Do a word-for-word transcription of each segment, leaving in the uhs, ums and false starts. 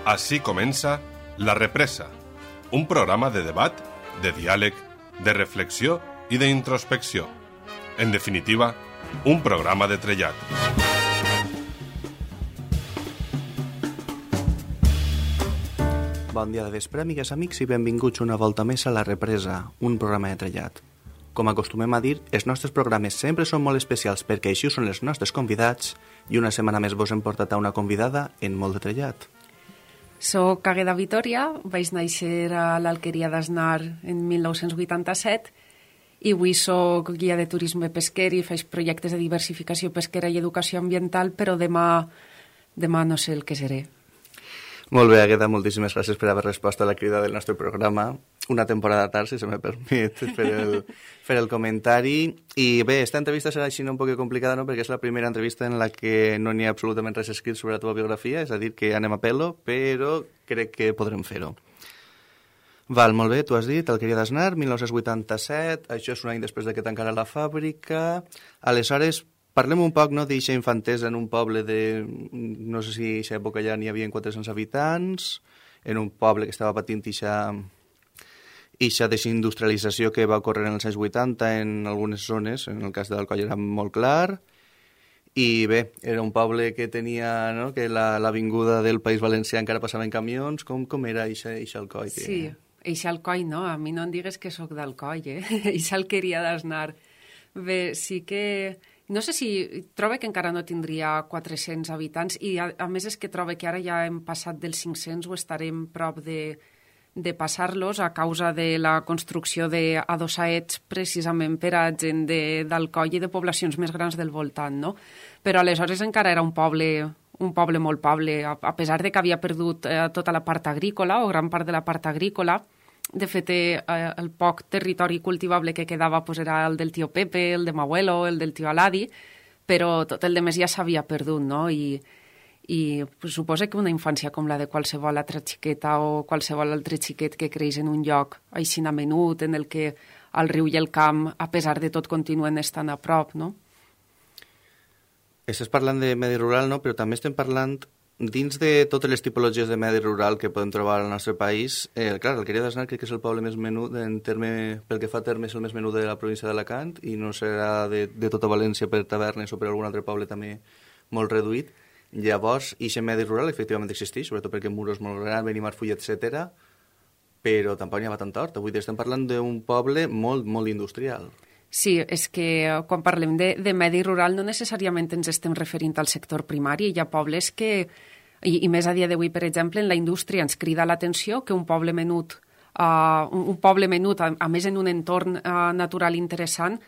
Así comença La Represa, un programa de debat, de diàleg, de reflexió i d'introspecció. En definitiva, un programa de trellat. Bon dia de vespre, amigues, amics, i benvinguts una volta més a La Represa, un programa de trellat. Com acostumem a dir, els nostres programes sempre són molt especials perquè així són els nostres convidats i una setmana més vos hem portat a una convidada en molt de trellat. Soc Agueda Vitoria, vaig néixer a l'Alqueria d'Asnar en mil nou-cents vuitanta-set i avui soc guia de turisme pesquer i faig projectes de diversificació pesquera i educació ambiental, però demà, demà no sé el que seré. Molt bé, Agueda, moltíssimes gràcies per haver respost a la crida del nostre programa. Una temporada tard, si se me permet fer el, fer el comentari. I bé, esta entrevista serà així un poc complicada, no?, perquè és la primera entrevista en la que no n'hi ha absolutament res escrit sobre la teva biografia, és a dir, que anem a pelo, però crec que podrem fer-ho. Val, molt bé, tu has dit, Alqueria d'Asnar, mil nou-cents vuitanta-set, això és un any després de que tancara la fàbrica. Aleshores, parlem un poc, no, d'eixa infantesa en un poble de... no sé si a aquesta època ja n'hi havia quatre-cents habitants, en un poble que estava patint eixa... eixa desindustrialització que va ocórrer en els anys vuitanta en algunes zones, en el cas d'Alcoi era molt clar, i bé, era un poble que tenia, no?, que l'avinguda del País Valencià encara passava en camions. Com, com era eixa Alcoi? Que... Sí, eixa Alcoi, no? A mi no em digues que sóc d'Alcoi, eh? Eixa Alqueria d'Asnar. Bé, sí que... No sé si... Trobo que encara no tindria quatre-cents habitants i a, a més és que trobo que ara ja hem passat dels cinc-cents o estarem prop de, de passar-los a causa de la construcció d'adossaets precisament per a gent d'Alcoi i de poblacions més grans del voltant, no? Però aleshores encara era un poble, un poble molt poble, a, a pesar de que havia perdut eh, tota la part agrícola o gran part de la part agrícola. De fet, eh, el poc territori cultivable que quedava pues, era el del tio Pepe, el de m'abuelo, el del tio Aladi, però tot el de més ja s'havia perdut, no? I, i pues, suposa que una infància com la de qualsevol altra xiqueta o qualsevol altre xiquet que creix en un lloc així menut, en el que el riu i el camp, a pesar de tot, continuen estant a prop, no? Estàs parlant de medi rural, no? Però també estem parlant... Dins de totes les tipologies de medi rural que podem trobar al nostre país, eh, clar, l'Alqueria d'Asnar crec que és el poble més menut, en terme, pel que fa a terme, és el més menut de la província d'Alacant, i no serà de, de tota València per tavernes o per algun altre poble també molt reduït. Llavors, aquest medi rural efectivament existeix, sobretot perquè Muro és molt gran, Benimarfull, etcètera, però tampoc n'hi ha tant hort. Avui estem parlant d'un poble molt, molt industrial. Sí, és que quan parlem de, de medi rural no necessàriament ens estem referint al sector primari. Hi ha pobles que, i, i més a dia d'avui, per exemple, en la indústria ens crida l'atenció que un poble menut, uh, un, un poble menut, a, a més en un entorn uh, natural interessant,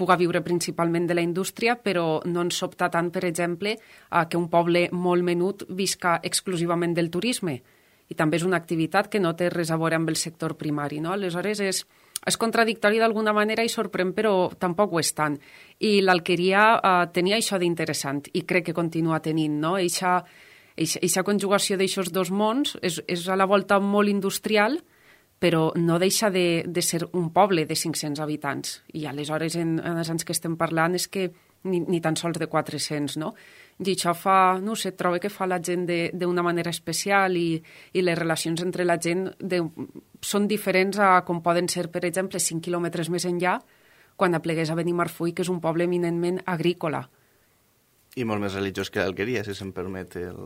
puga viure principalment de la indústria, però no ens sobta tant, per exemple, uh, que un poble molt menut visca exclusivament del turisme. I també és una activitat que no té res a veure amb el sector primari, no? Aleshores és... És contradictori d'alguna manera i sorprèn, però tampoc ho és tant. I l'Alqueria eh, tenia això d'interessant i crec que continua tenint, no? Eixa, eixa, eixa conjugació d'aixos dos mons és, és a la volta molt industrial, però no deixa de, de ser un poble de cinc-cents habitants. I aleshores, en, en els anys que estem parlant, és que ni, ni tan sols de quatre-cents, no? I això fa, no sé, trobo que fa la gent d'una manera especial i, i les relacions entre la gent de, són diferents a com poden ser, per exemple, cinc quilòmetres més enllà, quan aplegués a Benimarfull, que és un poble eminentment agrícola. I molt més religiós que l'Alqueria, si se'm permet el,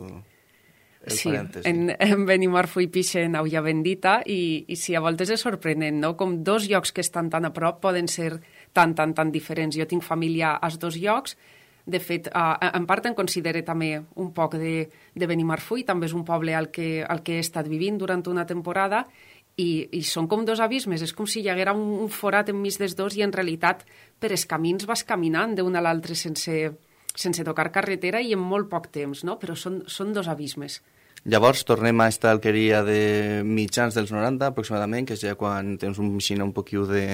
el sí, parèntesi. En, en Benimarfull pixen Aulla Bendita i, i sí, a voltes és sorprenent, no? Com dos llocs que estan tan a prop poden ser tan, tan, tan diferents. Jo tinc família als dos llocs. De fet, uh, en part em considero també un poc de, de Benimarfull, també és un poble al que, al que he estat vivint durant una temporada i, i són com dos abismes, és com si hi haguera un, un forat enmig dels dos i en realitat per els camins vas caminant d'un a l'altre sense, sense tocar carretera i en molt poc temps, no? Però són, són dos abismes. Llavors tornem a esta Alqueria de mitjans dels noranta aproximadament, que és ja quan tens un xina un poquiu de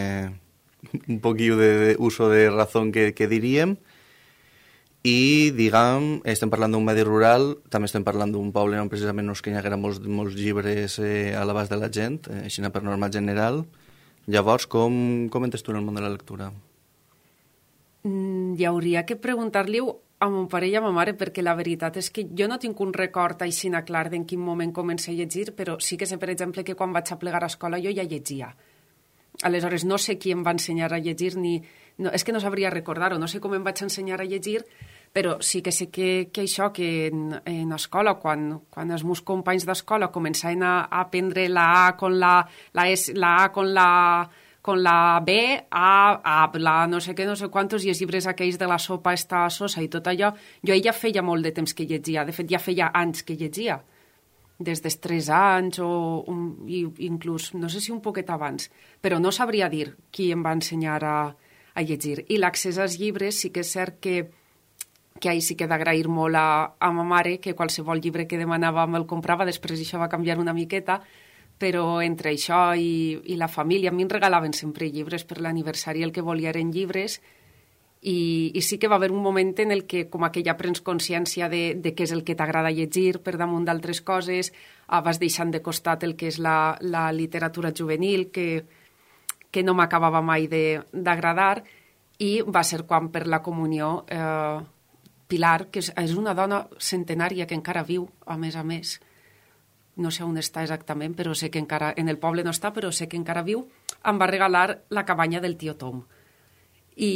un poquiu de, de uso de razón que, que diríem. I, diguem, estem parlant d'un medi rural, també estem parlant d'un poble on precisament no és que hi haguera molts, molts llibres eh, a l'abast de la gent, eh, així per norma general. Llavors, com, com entres tu en el món de la lectura? Mm, hi hauria que preguntar-li a mon pare i a ma mare, perquè la veritat és que jo no tinc un record així clar d'en quin moment comencé a llegir, però sí que sé, per exemple, que quan vaig a plegar a escola jo ja llegia. Aleshores, no sé qui em va ensenyar a llegir, ni... No, és que no sabria recordar-ho, no sé com em vaig ensenyar a llegir, però sí que sé que, que això, que en, en escola, quan, quan els meus companys d'escola començaven a, a aprendre la A con la, la, S, la A con la, con la B, A, A, la no sé què, no sé quantos, i els llibres aquells de la sopa esta sosa i tot allò, jo ja feia molt de temps que llegia, de fet ja feia anys que llegia, des dels tres anys o un, i inclús, no sé si un poquet abans, però no sabria dir qui em va ensenyar a, a llegir. I l'accés als llibres sí que és cert que, que ahir sí que he d'agrair molt a, a ma mare, que qualsevol llibre que demanava me'l comprava, després això va canviar una miqueta, però entre això i, i la família, a mi em regalaven sempre llibres per l'aniversari, el que volia eren llibres, I, i sí que va haver un moment en el que com que ja prens consciència de, de què és el que t'agrada llegir per damunt d'altres coses, ah, vas deixant de costat el que és la, la literatura juvenil, que, que no m'acabava mai d'agradar, i va ser quan per la comunió eh, Pilar, que és, és una dona centenària que encara viu, a més a més, no sé on està exactament, però sé que encara, en el poble no està, però sé que encara viu, em va regalar la cabanya del tio Tom. I,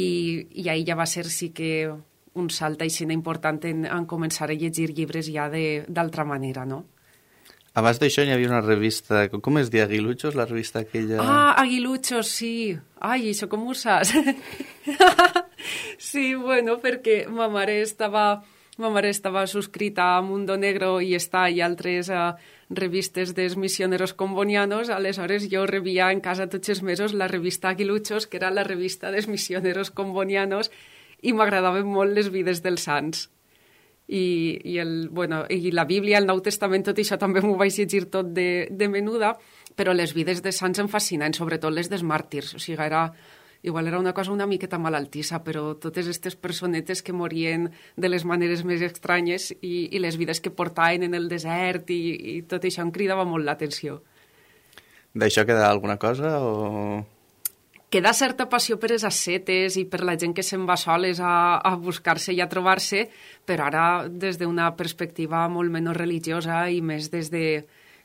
i ahir ja va ser sí que un salt així important en, en començar a llegir llibres ja d'altra manera, no? Abans d'això hi havia una revista, com es diu, Aguiluchos, la revista aquella... Ah, Aguiluchos, sí. Ai, això com ho saps? Sí, bueno, perquè ma mare estava, ma mare estava subscrita a Mundo Negro i està i altres uh, revistes dels missioneros combonianos, aleshores jo rebia en casa tots els mesos la revista Aguiluchos, que era la revista dels missioneros combonianos, i m'agradaven molt les vides dels sants. I, i, el, bueno, i la Bíblia, el Nou Testament, tot això també m'ho vaig llegir tot de, de menuda, però les vides de sants em fascinen, sobretot les dels màrtirs. O sigui, era, igual era una cosa una miqueta malaltissa, però totes aquestes personetes que morien de les maneres més estranyes i, i les vides que portaven en el desert i, i tot això em cridava molt l'atenció. D'això queda alguna cosa o...? Queda certa passió per les ascetes i per la gent que se'n va soles a, a buscar-se i a trobar-se, però ara des d'una perspectiva molt menys religiosa i més des de,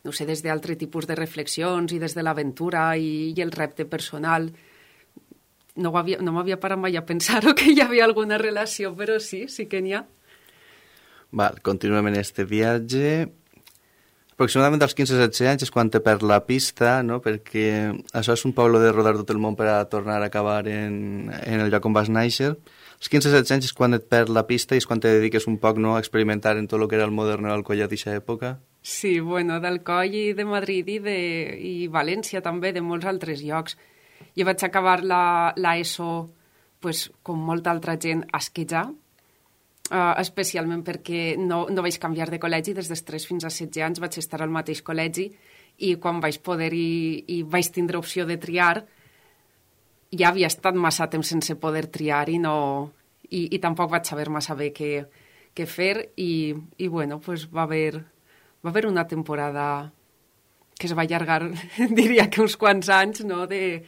no sé, des d'altre tipus de reflexions i des de l'aventura i, i el repte personal. No, havia, no m'havia parat mai a pensar que hi havia alguna relació, però sí, sí que n'hi ha. Val, continuem en este viatge. Aproximadament als quinze setze anys és quan te perd la pista, no? Perquè això és un poble de rodar tot el món per a tornar a acabar en, en el lloc on vas néixer. Als quinze setze anys és quan et perd la pista i és quan te dediques un poc, no?, a experimentar en tot el que era el moderno d'Alcoy d'aquesta època. Sí, bueno, d'Alcoy i de Madrid i, de, i València també, de molts altres llocs. Jo vaig acabar la, la ESO, pues, com molta altra gent, a Esquejà, Uh, especialment perquè no, no vaig canviar de col·legi des dels tres fins a setze anys, vaig estar al mateix col·legi i quan vaig poder i, i vaig tindre opció de triar ja havia estat massa temps sense poder triar i, no, i, i tampoc vaig saber massa bé què, què fer i, i bueno, pues va haver, va haver una temporada que es va allargar, diria que uns quants anys, no? de,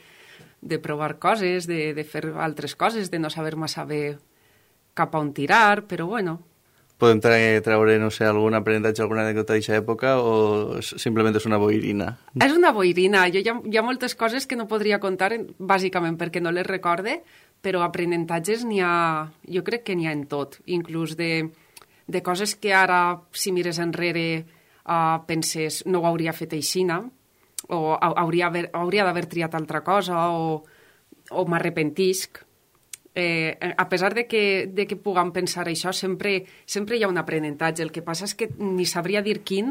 de provar coses, de, de fer altres coses, de no saber massa bé cap a on tirar, però bueno. Podem treure, no sé, algun aprenentatge, alguna anècdota d'aquesta època o simplement és una boirina? És una boirina. Jo hi ha, hi ha moltes coses que no podria contar, bàsicament perquè no les recorde, però aprenentatges n'hi ha, jo crec que n'hi ha en tot, inclús de, de coses que ara, si mires enrere, uh, penses, no ho hauria fet aixina, o hauria, haver, hauria d'haver triat altra cosa, o, o m'arrepentisc. Eh, a pesar de que, de que puguem pensar això, sempre, sempre hi ha un aprenentatge. El que passa és que ni sabria dir quin,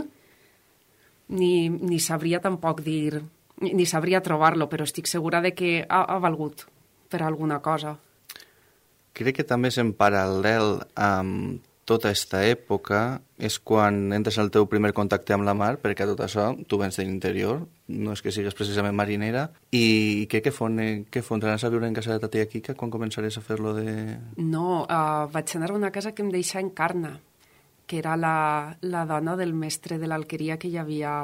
ni, ni sabria tampoc dir, ni sabria trobar-lo, però estic segura de que ha, ha valgut per alguna cosa. Crec que també és en paral·lel amb tota aquesta època és quan entres al teu primer contacte amb la mar, perquè tot això tu vens de l'interior, no és que sigues precisament marinera, i què, què fon, què fon? Anaves a viure en casa de ta tia Quica quan començaries a fer-lo de...? No, uh, vaig anar a una casa que em deixà en Carna, que era la, la dona del mestre de l'alqueria que hi havia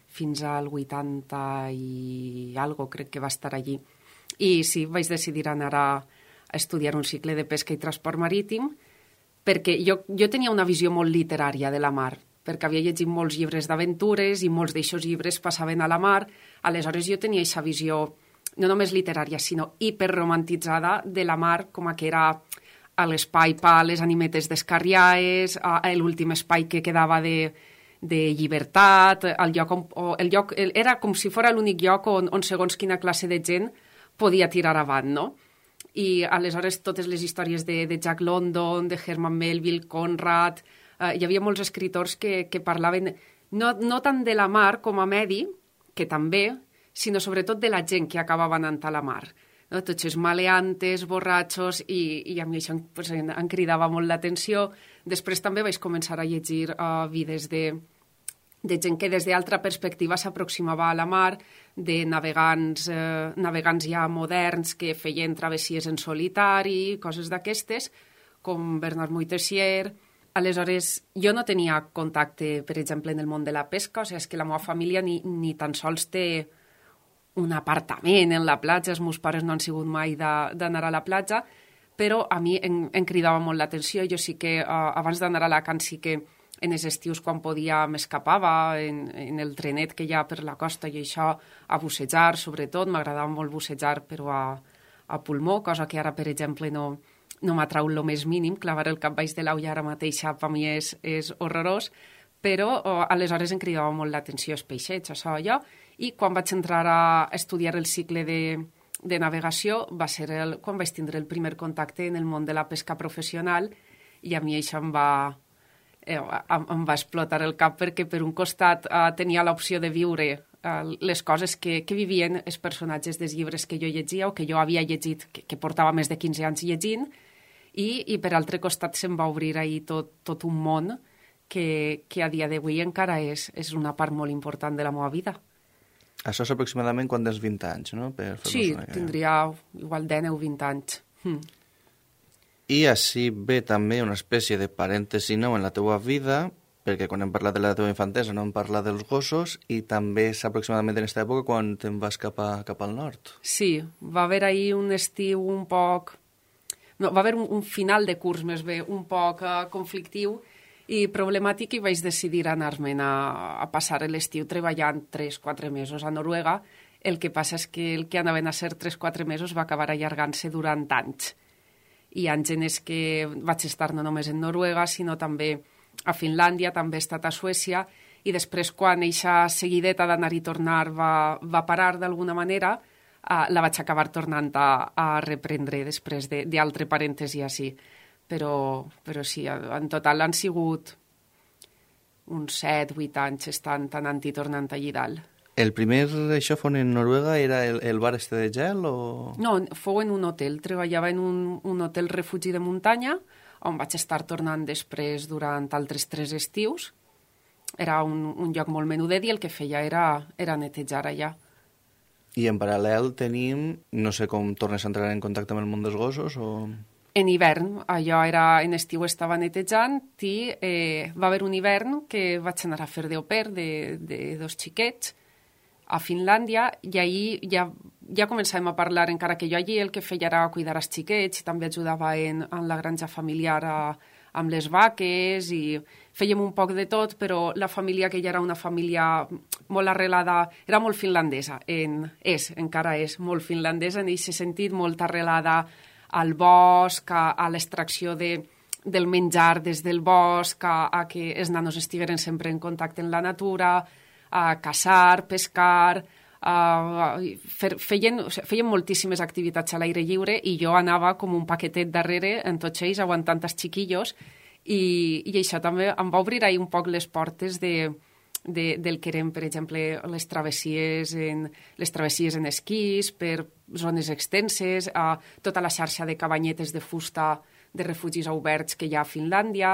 fins al vuitanta i algo, crec que va estar allí. I sí, vaig decidir anar a, a estudiar un cicle de pesca i transport marítim, perquè jo, jo tenia una visió molt literària de la mar, perquè havia llegit molts llibres d'aventures i molts d'aixòs llibres passaven a la mar, aleshores jo tenia aquesta visió no només literària, sinó hiperromantitzada de la mar, com a que era a l'espai per les animetes descarriades, a, a l'últim espai que quedava de, de llibertat, el lloc, on, o el lloc era com si fos l'únic lloc on, on segons quina classe de gent podia tirar avant, no? I aleshores totes les històries de, de Jack London, de Herman Melville, Conrad, eh, hi havia molts escriptors que, que parlaven no, no tant de la mar com a medi, que també, sinó sobretot de la gent que acabava anant a la mar. No? Tots els maleantes, borratxos, i, i a mi això pues, em, em cridava molt l'atenció. Després també vaig començar a llegir uh, vides de, de gent que des d'altra perspectiva s'aproximava a la mar, de navegants, eh, navegants ja moderns que feien travessies en solitari, coses d'aquestes, com Bernard Moitessier. Aleshores, jo no tenia contacte, per exemple, en el món de la pesca, o sigui, és que la meva família ni, ni tan sols té un apartament en la platja, els meus pares no han sigut mai d'anar a la platja, però a mi em, em cridava molt l'atenció. Jo sí que, uh, abans d'anar a Alacant, sí que en els estius, quan podia, m'escapava en, en el trenet que hi ha per la costa i això, a bussejar, sobretot. M'agradava molt bussejar, però a, a pulmó, cosa que ara, per exemple, no, no m'atrau el més mínim. Clavar el cap baix de l'aulla ara mateixa per mi és, és horrorós, però uh, aleshores em cridava molt l'atenció els peixets, això allò. I quan vaig entrar a estudiar el cicle de, de navegació va ser el, quan vaig tindre el primer contacte en el món de la pesca professional, i a mi això em va, eh, em va explotar el cap, perquè per un costat eh, tenia l'opció de viure eh, les coses que, que vivien els personatges dels llibres que jo llegia o que jo havia llegit, que, que portava més de quinze anys llegint, i, i per altre costat se'm va obrir ahir tot, tot un món que, que a dia d'avui encara és, és una part molt important de la meva vida. Això és aproximadament quan tens vint anys, no? Per sí, tindria igual dinou o vint anys. Hm. I així ve també una espècie de parèntesi nou en la teua vida, perquè quan hem parlat de la teva infantesa no hem parlat dels gossos, i també és aproximadament en aquesta època quan te'n vas cap, a, cap al nord. Sí, va haver ahir un estiu un poc... No, va haver un, un final de curs, més bé, un poc uh, conflictiu i problemàtic, i vaig decidir anar-me'n a, a passar l'estiu treballant tres o quatre mesos a Noruega. El que passa és que el que anaven a ser tres o quatre mesos va acabar allargant-se durant anys. I anys en els que vaig estar no només en Noruega, sinó també a Finlàndia, també he estat a Suècia, i després, quan eixa seguideta d'anar i tornar va, va parar d'alguna manera, uh, la vaig acabar tornant a, a reprendre després d'altre parèntesi així. Però, però sí, en total han sigut uns set o vuit anys estant anant i tornant allí dalt. El primer això fon en Noruega era el, el bar este de gel o...? No, fou en un hotel. Treballava en un, un hotel refugi de muntanya, on vaig estar tornant després durant altres tres estius. Era un, un lloc molt menudet i el que feia era, era netejar allà. I en paral·lel tenim, no sé com tornes a entrar en contacte amb el món dels gossos o... En hivern, allò era, en estiu estava netejant i eh, va haver un hivern que vaig anar a fer de au pair de, de dos xiquets a Finlàndia, i ahir ja, ja començàvem a parlar, encara que jo allí el que feia era cuidar els xiquets i també ajudava en, en la granja familiar a, amb les vaques, i fèiem un poc de tot, però la família, que ja era una família molt arrelada, era molt finlandesa, en, és, encara és molt finlandesa en aquest sentit, molt arrelada al bosc, a, a l'extracció de, del menjar des del bosc, a, a que els nanos estigueren sempre en contacte amb la natura, a caçar, pescar, a, fer, feien, o sigui, feien moltíssimes activitats a l'aire lliure, i jo anava com un paquetet darrere en tots ells, aguantant els xiquillos, i, i això també em va obrir ahir un poc les portes de, de, del que eren, per exemple, les travessies en, les travessies en esquís per zones extenses, a tota la xarxa de cabanyetes de fusta de refugis oberts que hi ha a Finlàndia,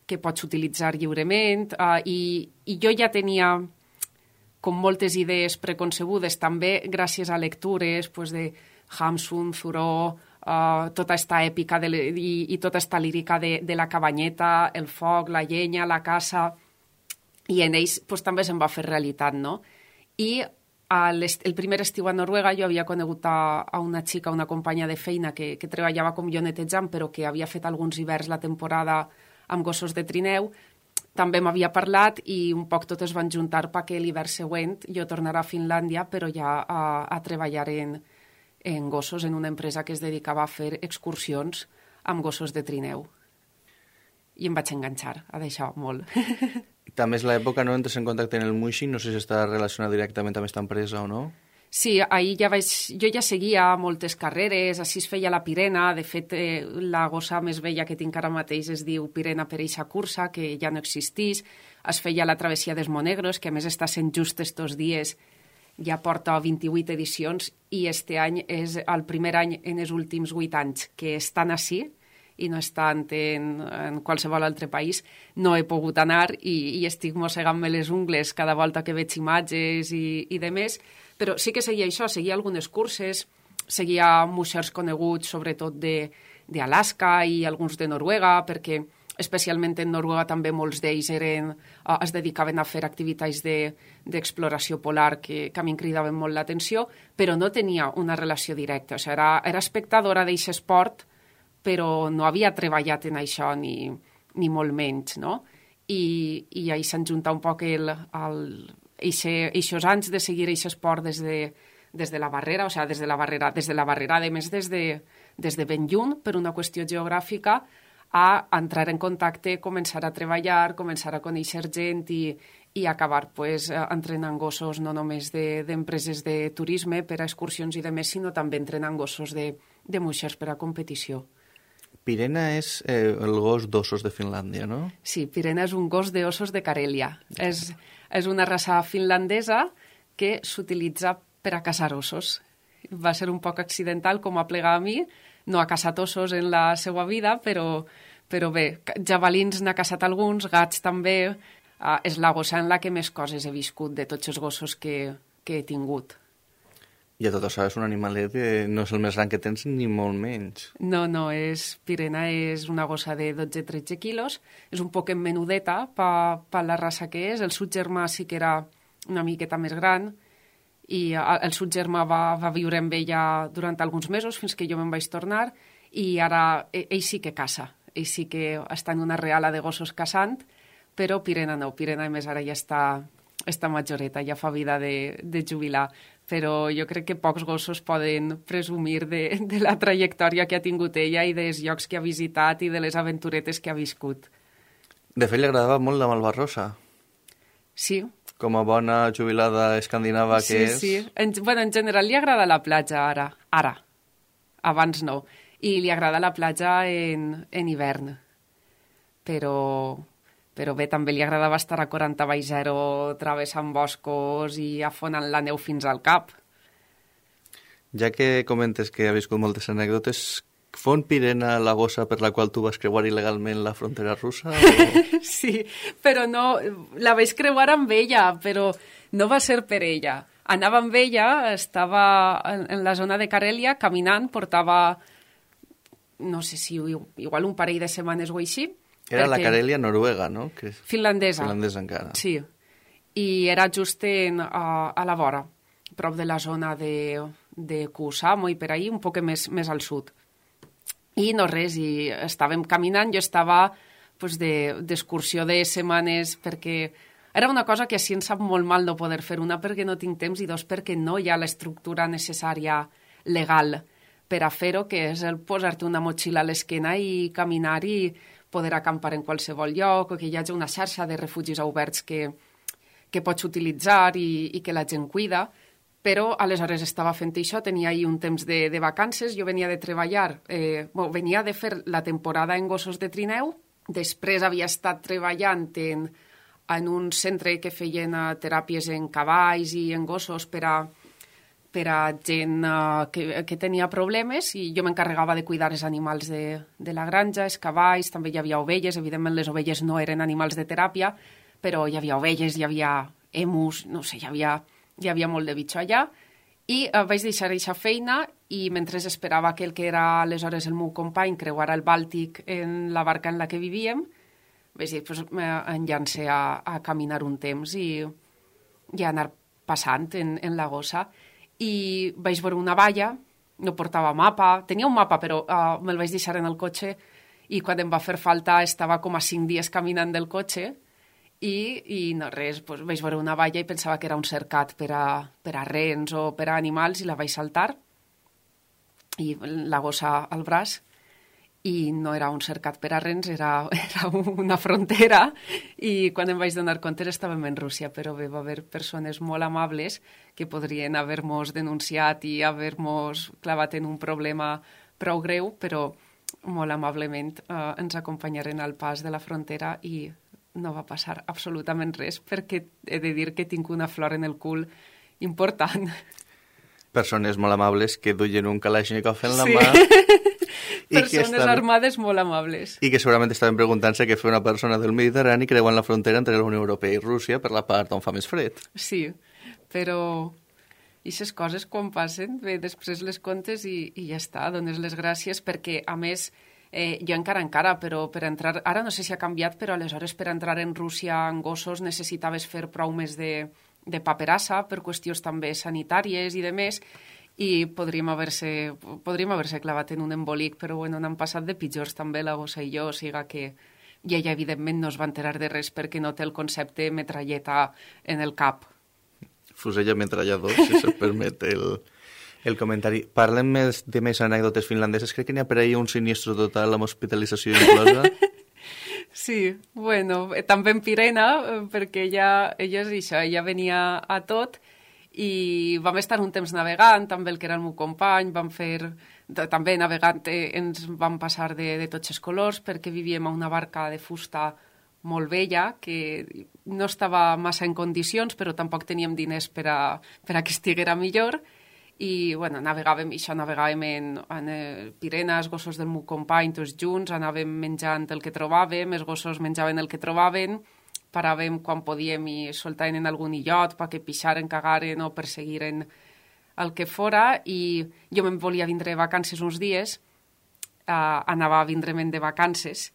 que pots utilitzar lliurement, uh, i, i jo ja tenia com moltes idees preconcebudes, també gràcies a lectures pues, de Hamsun, Thoreau, uh, tota esta èpica de, i, i tota esta lírica de, de la cabanyeta, el foc, la llenya, la caça, i en ells pues, també se'n va fer realitat, no? I el primer estiu a Noruega jo havia conegut a, a una xica, una companya de feina que, que treballava com jo netejant, però que havia fet alguns hiverns la temporada amb gossos de trineu. També m'havia parlat i un poc tot es van juntar perquè l'hivern següent jo tornarà a Finlàndia, però ja a, a treballar en, en gossos en una empresa que es dedicava a fer excursions amb gossos de trineu. I em vaig enganxar a d'això molt. També és l'època, no?, entres en contacte en el Muixing, no sé si està relacionat directament amb aquesta empresa o no. Sí, ahir ja vaig, jo ja seguia moltes carreres, així es feia la Pirena, de fet eh, la gossa més vella que tinc ara mateix es diu Pirena per eixa cursa, que ja no existís, es feia la travessia dels Monegros, que a més està sent just estos dies, ja porta vint-i-vuit edicions, i este any és el primer any en els últims vuit anys que estan així, i no estant en, en qualsevol altre país, no he pogut anar i, i estic mossegant-me les ungles cada volta que veig imatges i, i de més, però sí que seguia això, seguia algunes curses, seguia muixers coneguts, sobretot d'Alaska i alguns de Noruega, perquè especialment en Noruega també molts d'ells eren, uh, es dedicaven a fer activitats d'exploració de, polar que, que a mi em cridaven molt l'atenció, però no tenia una relació directa, o sigui, era, era espectadora d'aquest esport, però no havia treballat en això ni, ni molt menys, no? I, i ahir s'han juntat un poc el, el, eixos anys de seguir aquest esport des de, des de la barrera, o sigui, des de la barrera, des de la barrera, a més des de, des de ben lluny, per una qüestió geogràfica, a entrar en contacte, començar a treballar, començar a conèixer gent i, i acabar pues, entrenant gossos no només d'empreses de, de turisme per a excursions i de més, sinó també entrenant gossos de, de muixers per a competició. Pirena és eh, el gos d'ossos de Finlàndia, no? Sí, Pirena és un gos d'ossos de Carèlia. És, és una raça finlandesa que s'utilitza per a caçar ossos. Va ser un poc accidental, com a plegar a mi. No ha caçat ossos en la seva vida, però, però bé, javalins n'ha caçat alguns, gats també. Uh, és la gossa en la que més coses he viscut de tots els gossos que, que he tingut. I a tot això és un animalet que no és el més gran que tens ni molt menys. No, no, és, Pirena és una gossa de dotze a tretze quilos, és un poc menudeta per pa la raça que és. El seu germà sí que era una miqueta més gran i el seu germà va, va viure amb ella durant alguns mesos fins que jo me'n vaig tornar i ara ell sí que caça, ell sí que està en una reala de gossos caçant, però Pirena no, Pirena a més ara ja està, està majoreta, ja fa vida de, de jubilar. Però jo crec que pocs gossos poden presumir de, de la trajectòria que ha tingut ella i dels llocs que ha visitat i de les aventuretes que ha viscut. De fet, li agradava molt la Malvarrosa. Sí. Com a bona jubilada escandinava que sí, és. Sí, sí. En, bueno, en general li agrada la platja ara. Ara. Abans no. I li agrada la platja en, en hivern. Però... però bé, també li agradava estar a quaranta baix zero travessant boscos i afonant la neu fins al cap. Ja que comentes que ha viscut moltes anècdotes, fon Pirena la gossa per la qual tu vas creuar il·legalment la frontera russa? O... Sí, però no... La vaig creuar amb ella, però no va ser per ella. Anava amb ella, estava en, en la zona de Carèlia, caminant, portava, no sé si igual un parell de setmanes o així. Era la Carèlia noruega, no? Que és... Finlandesa. Finlandesa encara. Sí. I era just en, a, a la vora, prop de la zona de, de Kuusamo i per ahí, un poc més, més al sud. I no res, i estàvem caminant, jo estava pues, d'excursió de, de setmanes, perquè era una cosa que així em sap molt mal no poder fer, una perquè no tinc temps i dos perquè no hi ha l'estructura necessària legal per a fer-ho, que és el posar-te una motxilla a l'esquena i caminar i poder acampar en qualsevol lloc, o que hi hagi una xarxa de refugis oberts que, que pots utilitzar i, i que la gent cuida, però aleshores estava fent això, tenia ahir un temps de, de vacances, jo venia de treballar, eh, bueno, venia de fer la temporada en gossos de trineu, després havia estat treballant en, en un centre que feien uh, teràpies en cavalls i en gossos per a per a gent uh, que, que tenia problemes i jo m'encarregava de cuidar els animals de, de la granja, els cavalls, també hi havia ovelles, evidentment les ovelles no eren animals de teràpia, però hi havia ovelles, hi havia emus, no sé, hi havia, hi havia molt de bitxo allà i uh, vaig deixar aquesta feina i mentre esperava que el que era aleshores el meu company creuara el Bàltic en la barca en la que vivíem, vaig dir, pues, em llancé a, a caminar un temps i, i a anar passant en, en la gossa i vaig veure una valla, no portava mapa, tenia un mapa però uh, me'l vaig deixar en el cotxe i quan em va fer falta estava com a cinc dies caminant del cotxe i, i no res, doncs vaig veure una valla i pensava que era un cercat per a, per a rens o per a animals i la vaig saltar i la gossa al braç i no era un cercat per a rens, era, era una frontera i quan em vaig donar compte estàvem en Rússia, però bé, va haver persones molt amables que podrien haver-nos denunciat i haver-nos clavat en un problema prou greu, però molt amablement eh, ens acompanyaren al pas de la frontera i no va passar absolutament res perquè he de dir que tinc una flor en el cul important. Persones molt amables que duien un Kalashnikov en la sí. mà. I Persones estaven... armades molt amables. I que segurament estaven preguntant-se què fer una persona del Mediterrani creuant la frontera entre la Unió Europea i Rússia per la part on fa més fred. Sí, però aquestes coses quan passen, bé, després les contes i, i ja està, dones les gràcies perquè, a més, eh, jo encara encara, però per entrar... Ara no sé si ha canviat, però aleshores per entrar en Rússia en gossos necessitaves fer prou més de, de paperassa per qüestions també sanitàries i de més, i podríem haver-se podríem haver-se clavat en un embolic, però bueno, n'han passat de pitjors també la gossa i jo, o sigui que i ella evidentment no es va enterar de res perquè no té el concepte metralleta en el cap. Fusell ametrallador, si se'm permet el, el comentari. Parlem més de més anècdotes finlandeses, crec que n'hi ha per ahir un sinistro total amb hospitalització inclosa. Sí, bueno, també en Pirena, perquè ella, ella és això, ella venia a tot i vam estar un temps navegant, també el que era el meu company, vam fer, també navegant eh, ens vam passar de, de tots els colors perquè vivíem a una barca de fusta molt vella, que no estava massa en condicions, però tampoc teníem diners per a, per a que estiguera millor, i bueno, navegàvem, això navegàvem en, en eh, Pirena, els gossos del meu company, tots junts, anàvem menjant el que trobàvem, els gossos menjaven el que trobaven, paràvem quan podíem i soltaven en algun illot perquè pixaren, cagaren o perseguiren el que fora i jo me'n volia vindre de vacances uns dies, uh, anava a vindre'm de vacances,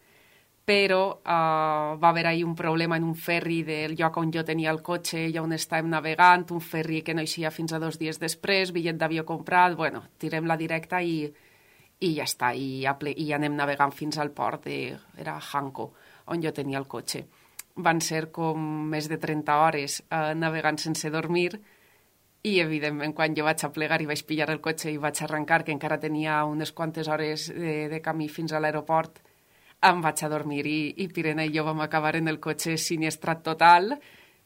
però uh, va haver ahir un problema en un ferri del lloc on jo tenia el cotxe i on estàvem navegant, un ferri que no eixia fins a dos dies després, bitllet d'avió comprat, bueno, tirem la directa i, i ja està, i, i anem navegant fins al port de, era Hanko, on jo tenia el cotxe. Van ser com més de trenta hores eh, navegant sense dormir i, evidentment, quan jo vaig a plegar i vaig pillar el cotxe i vaig arrencar, que encara tenia unes quantes hores de, de camí fins a l'aeroport, em vaig a dormir i, i Pirena i jo vam acabar en el cotxe siniestrat total,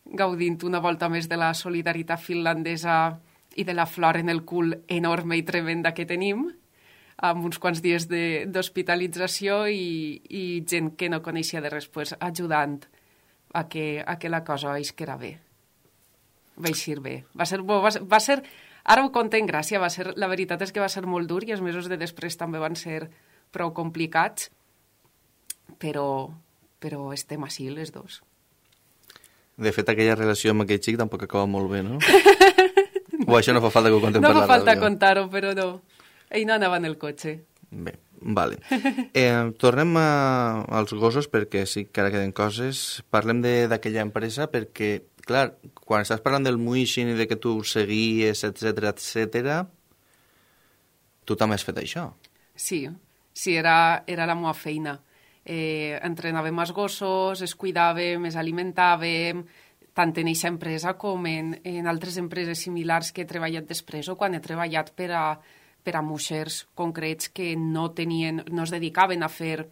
gaudint una volta més de la solidaritat finlandesa i de la flor en el cul enorme i tremenda que tenim, amb uns quants dies d'hospitalització i, i gent que no coneixia de res, pues, ajudant a que, a que la cosa isquera bé. Va eixir bé. Va ser, bo, va, va ser, ara ho conto en gràcia, va ser, la veritat és que va ser molt dur i els mesos de després també van ser prou complicats, però, però estem així les dos. De fet, aquella relació amb aquell xic tampoc acaba molt bé, no? O això no fa falta que ho contem no per la ràdio? No fa falta contar-ho, però no. Ell no anava en el cotxe. Bé, vale. Eh, tornem a, als gossos perquè sí que ara queden coses. Parlem d'aquella empresa perquè, clar, quan estàs parlant del Muixin i de que tu seguies, etcètera, etcètera, tu també has fet això. Sí, sí, era, era la meva feina. Eh, entrenàvem els gossos, es cuidàvem, es alimentàvem, tant en aquesta empresa com en, en altres empreses similars que he treballat després o quan he treballat per a per a muixers concrets que no tenien, no es dedicaven a fer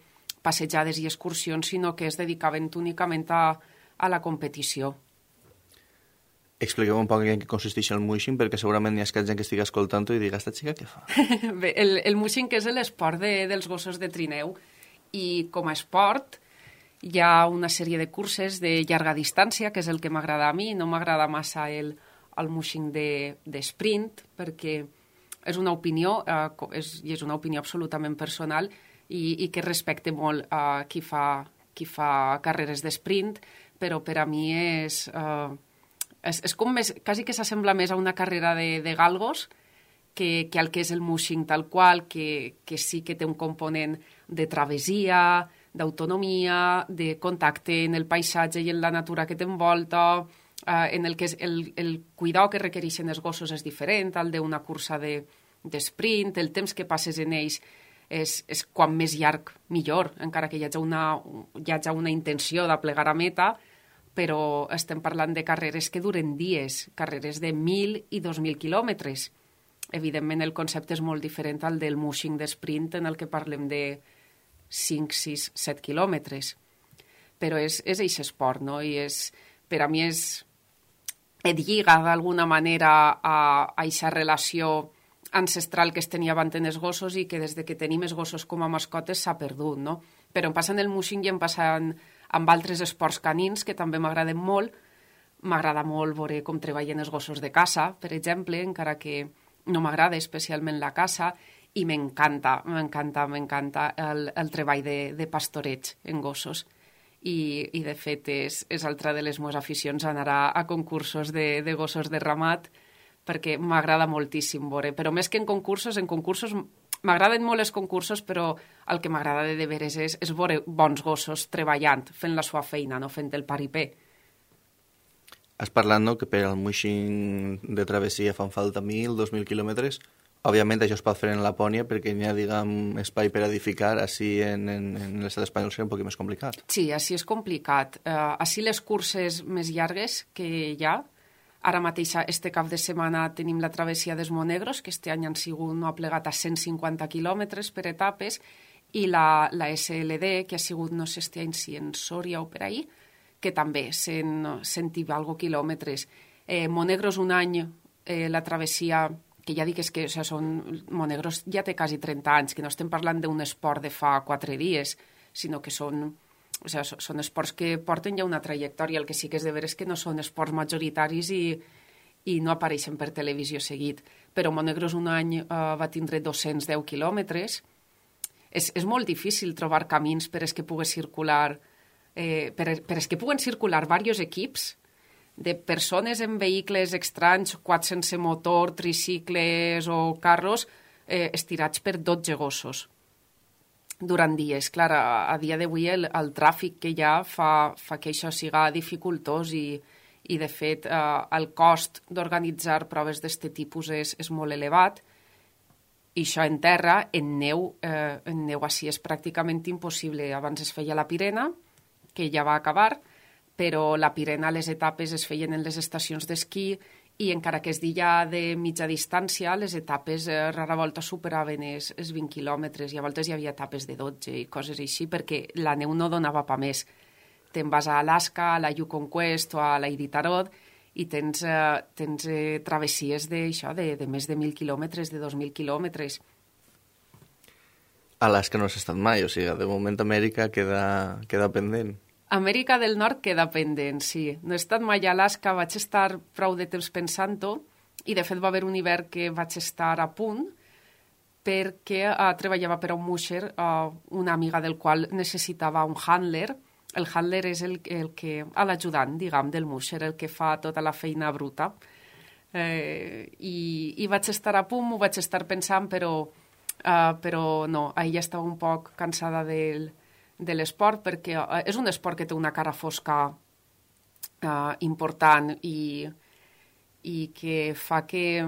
passejades i excursions, sinó que es dedicaven únicament a, a la competició. Expliqueu un poc en què consisteix el muixing, perquè segurament hi ha gent que estigui escoltant-ho i diga, esta xica què fa? Bé, el, el muixing és l'esport de, dels gossos de trineu i com a esport hi ha una sèrie de curses de llarga distància, que és el que m'agrada a mi, no m'agrada massa el, el muixing de, de sprint, perquè és una opinió, eh, és, i és una opinió absolutament personal i, i que respecte molt a qui fa, qui fa carreres d'esprint, però per a mi és, eh, és, és com més, quasi que s'assembla més a una carrera de, de galgos que, que al que és el muixing tal qual, que, que sí que té un component de travessia, d'autonomia, de contacte en el paisatge i en la natura que t'envolta, uh, en el que el, el cuidado que requereixen els gossos és diferent al d'una cursa de, d'esprint, el temps que passes en ells és, és quan més llarg millor, encara que hi hagi una, hi hagi una intenció de plegar a meta, però estem parlant de carreres que duren dies, carreres de mil i dos mil quilòmetres. Evidentment, el concepte és molt diferent al del mushing d'esprint, en el que parlem de cinc, sis, set quilòmetres. Però és, és eixe esport, no? I és, per a mi és, et lliga d'alguna manera a eixa relació ancestral que es tenia abans en els gossos i que des de que tenim els gossos com a mascotes s'ha perdut, no? Però em passa en el mushing i em passa amb altres esports canins que també m'agraden molt. M'agrada molt veure com treballen els gossos de caça, per exemple, encara que no m'agrada especialment la caça, i m'encanta, m'encanta, m'encanta el, el treball de, de pastoreig en gossos. I, i de fet, és, és altra de les meves aficions anar a, a concursos de, de gossos de ramat, perquè m'agrada moltíssim veure. Però més que en concursos, en concursos m'agraden molt els concursos, però el que m'agrada de, de veres és, és veure bons gossos treballant, fent la seva feina, no fent el paripé. Has parlat, no?, que per al mushing de travessia fan falta mil, dos mil quilòmetres. Òbviament això es pot fer en Lapònia perquè n'hi ha, diguem, espai per edificar. Així en, en, en l'estat espanyol seria un poc més complicat. Sí, així és complicat. Uh, així les curses més llargues que hi ha, ara mateix, este cap de setmana, tenim la travessia dels Monegros, que este any han sigut, no ha plegat a cent cinquanta quilòmetres per etapes, i la, la S L D, que ha sigut, no sé este any si en Sòria o per ahí, que també cent, cent i algo quilòmetres. Eh, Monegros un any, eh, la travessia, que ja dic és que o sigui, són, Monegros ja té quasi trenta anys, que no estem parlant d'un esport de fa quatre dies, sinó que són, o sigui, són esports que porten ja una trajectòria. El que sí que és de veres que no són esports majoritaris i, i no apareixen per televisió seguit. Però Monegros un any eh, va tindre dos-cents deu quilòmetres. És, és molt difícil trobar camins per es que pugui circular Eh, per, per es que puguen circular diversos equips de persones en vehicles estranys, quads sense motor, tricicles o carros, eh, estirats per dotze gossos durant dies. Clar, a, a dia d'avui el, el tràfic que hi ha fa, fa que això siga dificultós i, i de fet, eh, el cost d'organitzar proves d'aquest tipus és, és molt elevat. I això en terra, en neu, eh, en neu així és pràcticament impossible. Abans es feia la Pirena, que ja va acabar, però la Pirena, les etapes es feien en les estacions d'esquí i encara que es dia de mitja distància, les etapes eh, rara volta superaven els, els vint quilòmetres i a voltes hi havia etapes de dotze i coses així, perquè la neu no donava pa més. Te'n vas a Alaska, a la Yukon Quest o a la Iditarod i tens, eh, tens eh, travessies de, això, de, de més de mil quilòmetres, de dos mil quilòmetres. Alaska no has estat mai, o sigui, de moment Amèrica queda, queda pendent. Amèrica del Nord queda pendent, sí. No he estat mai a Alaska, vaig estar prou de temps pensant-ho i de fet va haver un hivern que vaig estar a punt perquè uh, treballava per a un musher, uh, una amiga del qual necessitava un handler. El handler és el, el que, l'ajudant, diguem, del musher, el que fa tota la feina bruta. Eh, i, I vaig estar a punt, m'ho vaig estar pensant, però Uh, però no, ahir ja estava un poc cansada del, de l'esport perquè uh, és un esport que té una cara fosca uh, important i, i que fa que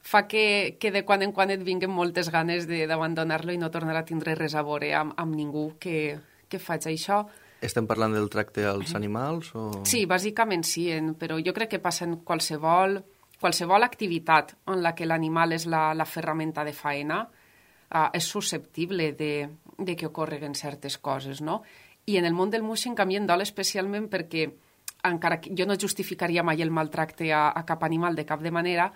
fa que, que de quan en quan et vinguen moltes ganes d'abandonar-lo i no tornar a tindre res a veure amb, amb ningú que, que faig això. Estem parlant del tracte als animals? O... Sí, bàsicament sí, en, però jo crec que passa en qualsevol... Qualsevol activitat en la que l'animal és la, la ferramenta de faena uh, és susceptible de, de que ocorreguen certes coses, no? I en el món del mushing a mi em dol especialment perquè encara que jo no justificaria mai el maltracte a, a cap animal de cap de manera,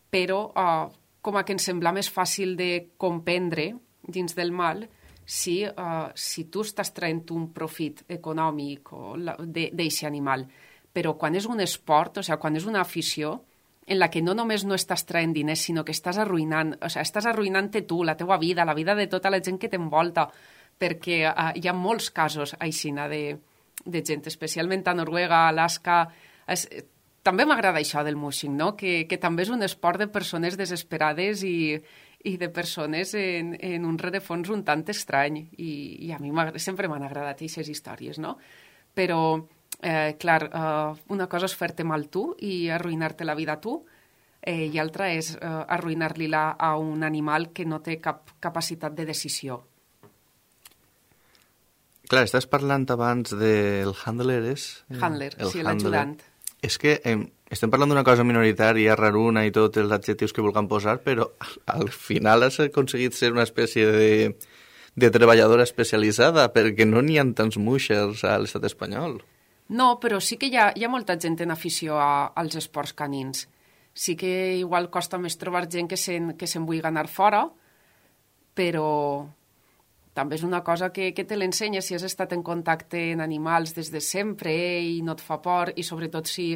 però uh, com a que em sembla més fàcil de comprendre dins del mal si, uh, si tu estàs traient un profit econòmic d'aquest animal. Però quan és un esport, o sigui, quan és una afició, en la que no només no estàs traient diners, sinó que estàs arruïnant, o sigui, estàs arruïnant-te tu, la teua vida, la vida de tota la gent que t'envolta, perquè uh, hi ha molts casos aixina de, de gent, especialment a Noruega, a Alaska. Es, també m'agrada això del mushing, no? Que, que també és un esport de persones desesperades i, i de persones en, en un rerefons un tant estrany, i, i a mi sempre m'han agradat aquestes històries, no? Però Eh, clar, eh, una cosa és fer-te mal tu i arruïnar-te la vida tu, eh, i altra és eh, arruïnar-li-la a un animal que no té cap capacitat de decisió. Clar, estàs parlant abans del handler, és? Handler, el sí, l'ajudant. És que eh, estem parlant d'una cosa minoritària, raruna i tots els adjectius que vulguem posar, però al final has aconseguit ser una espècie de, de treballadora especialitzada, perquè no n'hi ha tants muixers a l'estat espanyol. No, però sí que hi ha, hi ha molta gent en afició a, als esports canins. Sí que igual costa més trobar gent que se'n que se'n vulgui anar fora, però també és una cosa que, que te l'ensenya si has estat en contacte amb animals des de sempre i no et fa por, i sobretot si,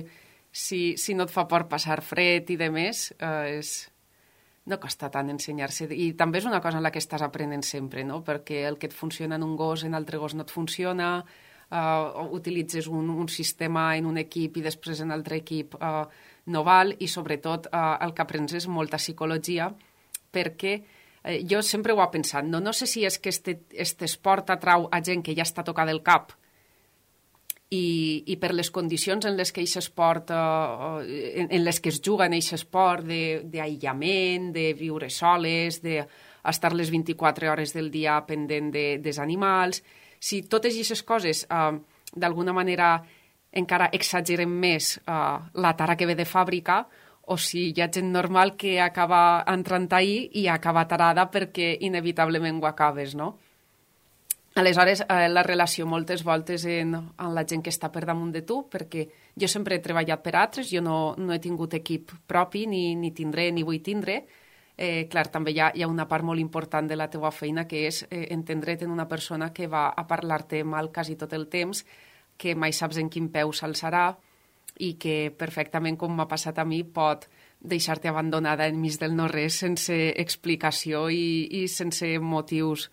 si, si no et fa por passar fred i de més, eh, és... no costa tant ensenyar-se. I també és una cosa en la que estàs aprenent sempre, no? Perquè el que et funciona en un gos, en altre gos no et funciona, Uh, utilitzes un, un sistema en un equip i després en altre equip uh, no val, i sobretot uh, el que aprens és molta psicologia, perquè uh, jo sempre ho he pensat, no, no sé si és que este, este esport atrau a gent que ja està tocada del cap i, i per les condicions en les que aquest esport uh, en, en les que es juga en aquest esport d'aïllament, de, de viure soles, d'estar les vint-i-quatre hores del dia pendent de, dels animals. Si totes aquestes coses eh, d'alguna manera encara exagerem més eh, la tara que ve de fàbrica, o si hi ha gent normal que acaba entrant ahí i acaba tarada perquè inevitablement ho acabes, no? Aleshores, eh, la relació moltes voltes en, en la gent que està per damunt de tu, perquè jo sempre he treballat per altres, jo no, no he tingut equip propi, ni, ni tindré, ni vull tindre. Eh, clar, també hi ha, hi ha una part molt important de la teva feina, que és eh, entendre't en una persona que va a parlar-te mal quasi tot el temps, que mai saps en quin peu s'alçarà i que perfectament, com m'ha passat a mi, pot deixar-te abandonada enmig del no-res sense explicació i, i sense motius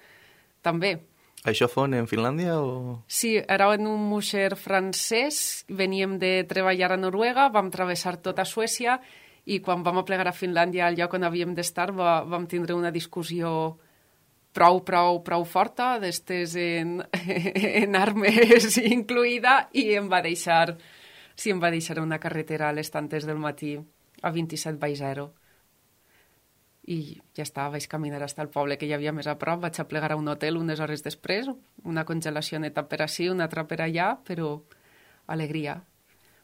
també. Això fon en Finlàndia o...? Sí, era en un musher francès, veníem de treballar a Noruega, vam travessar tota Suècia i quan vam aplegar a Finlàndia, al lloc on havíem d'estar, va, vam tindre una discussió prou, prou, prou forta, d'estes en, en armes incluïda, i em va deixar, sí, em va deixar una carretera a les tantes del matí, a vint-i-set baix zero. I ja està, vaig caminar fins al poble que hi havia més a prop, vaig aplegar a un hotel unes hores després, una congelacioneta per ací, una altra per allà, però alegria.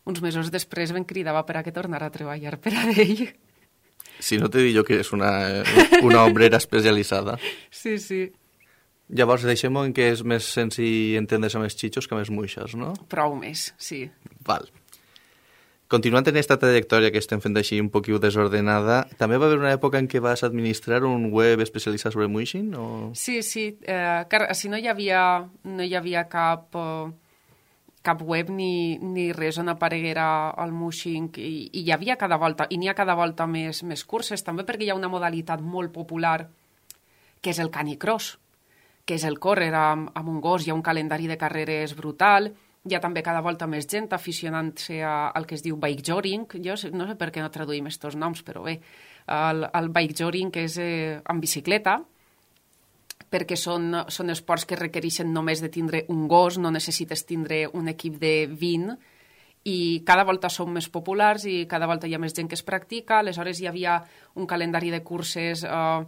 Uns mesos després em cridava per a que tornara a treballar per a ell. Si no te dic jo que és una, una obrera especialitzada. Sí, sí. Llavors, deixem-ho en què és més senzill entendre's amb els xitxos que amb els muixes, no? Prou més, sí. Val. Continuant en aquesta trajectòria que estem fent així un poquiu desordenada, també va haver una època en què vas administrar un web especialitzat sobre muixing? O... Sí, sí. Eh, car, si no hi havia, no hi havia cap... Eh... cap web ni, ni res on apareguera el mushing, i, i hi havia cada volta, i n'hi ha cada volta més, més curses, també perquè hi ha una modalitat molt popular que és el canicross, que és el córrer amb, amb un gos, hi ha un calendari de carreres brutal, hi ha també cada volta més gent aficionant-se al que es diu bike jogging, jo no sé per què no traduïm aquests noms, però bé, el, el bike jogging és eh, amb bicicleta, perquè són, són esports que requereixen només de tindre un gos, no necessites tindre un equip de vint, i cada volta són més populars i cada volta hi ha més gent que es practica. Aleshores hi havia un calendari de curses eh,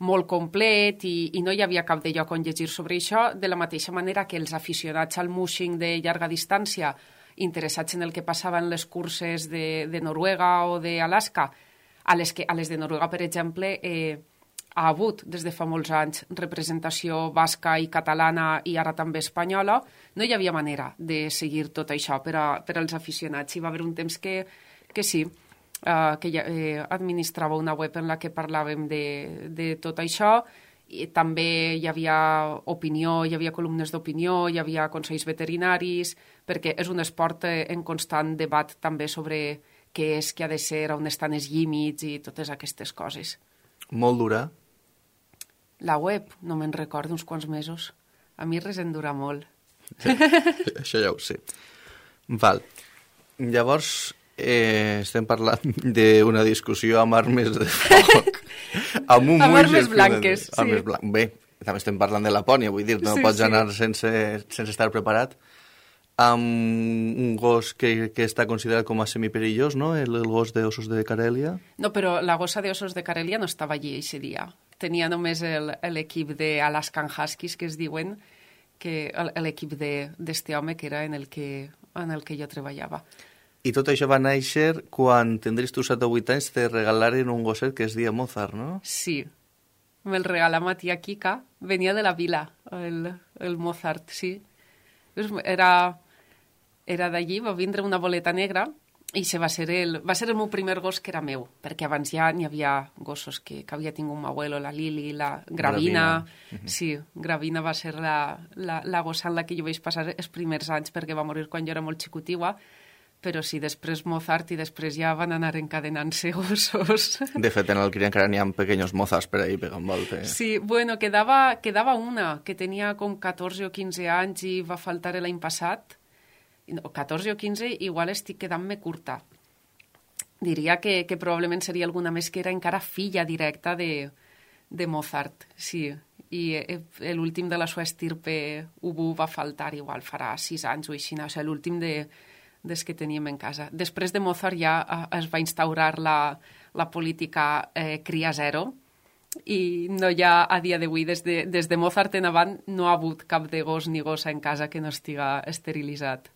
molt complet i, i no hi havia cap de lloc on llegir sobre això, de la mateixa manera que els aficionats al mushing de llarga distància, interessats en el que passava en les curses de, de Noruega o d'Alaska, a les, que, a les de Noruega, per exemple, eh, ha hagut des de fa molts anys representació basca i catalana i ara també espanyola, no hi havia manera de seguir tot això per, a, per als aficionats. Hi va haver un temps que, que sí, eh, que ja, eh, administrava una web en la que parlàvem de, de tot això, i també hi havia opinió, hi havia columnes d'opinió, hi havia consells veterinaris, perquè és un esport en constant debat també sobre què és, què ha de ser, on estan els límits i totes aquestes coses. Molt dura? La web, no me'n recordo, uns quants mesos. A mi res em dura molt. Això ja ho sé. Val. Llavors, eh, estem parlant d'una discussió amb armes de foc. amb un amb armes blanques, sí. Armes blan... Bé, també estem parlant de Lapònia, vull dir, no sí, pots sí. anar sense, sense estar preparat. amb un gos que, que està considerat com a semiperillós, no? El, el gos de Osos de Carèlia. No, però la gossa de Osos de Carèlia no estava allí aquest dia. Tenia només l'equip d'Alaskan Huskies, que es diuen, que l'equip d'este home que era en el que, en el que jo treballava. I tot això va néixer quan tindries tu set o vuit anys, te regalaren un gosset que es deia Mozart, no? Sí, me'l regalà ma tia Kika, venia de la vila, el, el Mozart, sí. Era, era d'allí, va vindre una boleta negra i se va, ser el, va ser el meu primer gos que era meu, perquè abans ja n'hi havia gossos que, que havia tingut m'abuelo, la Lili, la Gravina. Gravina. Sí, Gravina va ser la, la, la gossa en la que jo vaig passar els primers anys perquè va morir quan jo era molt xicotiua, però sí, després Mozart i després ja van anar encadenant-se gossos. De fet, en el cria encara n'hi ha pequeños Mozarts per ahí pegant voltes. Sí, bueno, quedava, quedava una, que tenia com catorze o quinze anys i va faltar l'any passat. No, catorze o quinze, igual estic quedant-me curta. Diria que, que probablement seria alguna més que era encara filla directa de, de Mozart, sí. I l'últim de la sua estirpe Ubu va faltar, igual farà sis anys o així, o sigui, l'últim de... des que teníem en casa. Després de Mozart ja es va instaurar la, la política eh, cria zero i no hi ha, a dia d'avui, des, de, des de Mozart en avant, no ha hagut cap de gos ni gossa en casa que no estiga esterilitzat.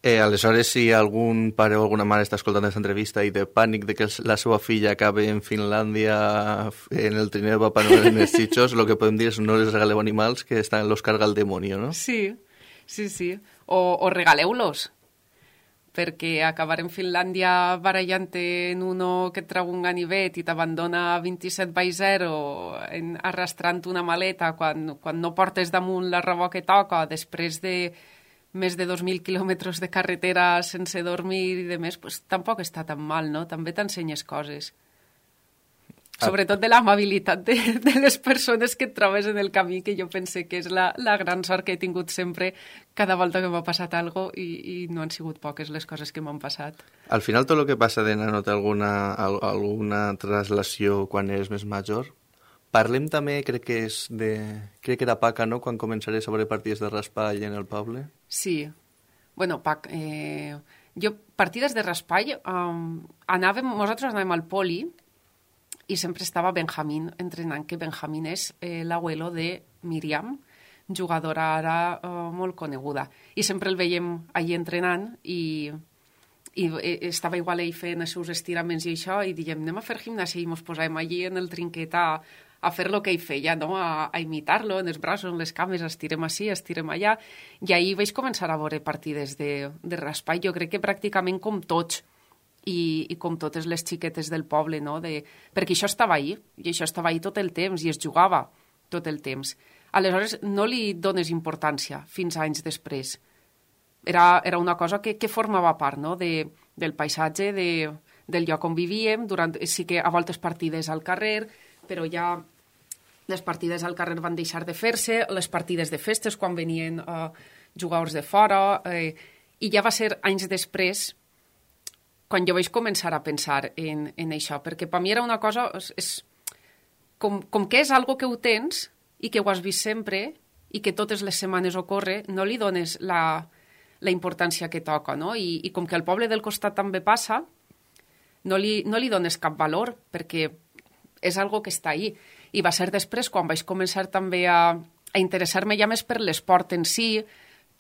Eh, aleshores, si algun pare o alguna mare està escoltant aquesta entrevista i de pànic de que la seva filla acabi en Finlàndia en el trineu de Papà Noel en els xitxos, el que podem dir és no les regaleu animals que estan los carga el demonio, no? Sí, sí, sí. O, o regaleu-los, perquè acabar en Finlàndia barallant-te en uno que et trau un ganivet i t'abandona vint-i-set by zero en, arrastrant una maleta quan, quan no portes damunt la roba que toca, després de més de dos mil quilòmetres de carretera sense dormir i de més, pues, tampoc està tan mal, no? També t'ensenyes coses. Sobretot de l'amabilitat de, de les persones que et trobes en el camí, que jo pense que és la, la gran sort que he tingut sempre cada volta que m'ha passat alguna cosa i, i no han sigut poques les coses que m'han passat. Al final, tot el que passa de nano té alguna, alguna traslació quan eres més major. Parlem també, crec que és de... Crec que era Paca, no?, quan començaré sobre partides de raspall en el poble. Sí. Bueno, Pac, eh, jo, partides de raspall, um, anàvem, nosaltres anàvem al poli i sempre estava Benjamín entrenant, que Benjamín és eh, l'abuelo de Míriam, jugadora ara eh, molt coneguda. I sempre el veiem allí entrenant i, i estava igual ell fent els seus estiraments i això, i diem, anem a fer gimnàsia i ens posàvem allí en el trinquet a, a fer el que ell feia, no? a, a imitar-lo en els braços, en les cames, estirem així, estirem allà. I ahir vaig començar a veure partides de, de raspall, jo crec que pràcticament com tots, I, i com totes les xiquetes del poble, no? De... perquè això estava ahí, i això estava ahí tot el temps, i es jugava tot el temps. Aleshores, no li dones importància fins anys després. Era, era una cosa que, que formava part, no? de, del paisatge, de, del lloc on vivíem, durant, sí que a voltes partides al carrer, però ja les partides al carrer van deixar de fer-se, les partides de festes quan venien eh, jugadors de fora, eh, i ja va ser anys després quan jo vaig començar a pensar en, en això, perquè per mi era una cosa, és, és, com, com que és algo que ho tens i que ho has vist sempre i que totes les setmanes ocorre, no li dones la, la importància que toca, no? I, i com que al poble del costat també passa, no li, no li dones cap valor, perquè és algo que està ahí. I va ser després quan vaig començar també a, a interessar-me ja més per l'esport en si,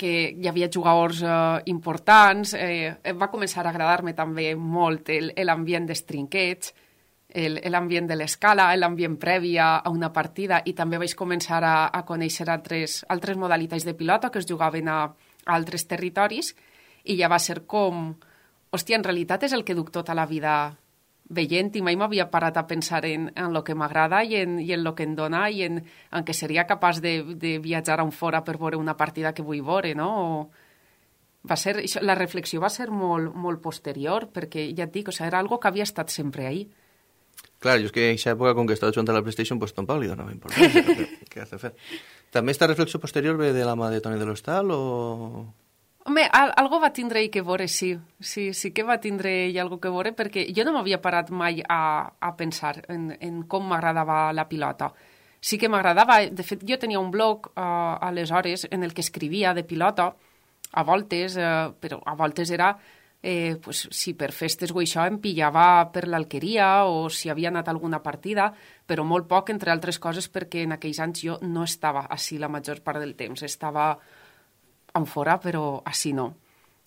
que hi havia jugadors eh, importants, eh, va començar a agradar-me també molt l'ambient dels trinquets, l'ambient de l'escala, l'ambient previ a, a una partida, i també vaig començar a, a conèixer altres, altres modalitats de pilota que es jugaven a, a altres territoris, i ja va ser com, hòstia, en realitat és el que duc tota la vida veient, i mai m'havia parat a pensar en, en el que m'agrada i en, i en el que em dona i en, en què seria capaç de, de viatjar a un fora per veure una partida que vull veure, no? O va ser, la reflexió va ser molt, molt posterior, perquè ja et dic, o sigui, era algo que havia estat sempre ahí. Clar, jo és que en aquesta època, com que estava jugant a la PlayStation, pues tampoc li donava importància. Què has de fer? També esta reflexió posterior ve de la mà de Toni de l'Hostal o...? Home, al, algo va tindre ell que veure, sí. Sí, sí que va tindre ell algo que veure, perquè jo no m'havia parat mai a, a pensar en, en com m'agradava la pilota. Sí que m'agradava, de fet, jo tenia un blog uh, aleshores en el que escrivia de pilota, a voltes, eh, però a voltes era... Eh, pues, si per festes o això em pillava per l'alqueria o si havia anat a alguna partida, però molt poc, entre altres coses, perquè en aquells anys jo no estava així la major part del temps. Estava en fora, però així no.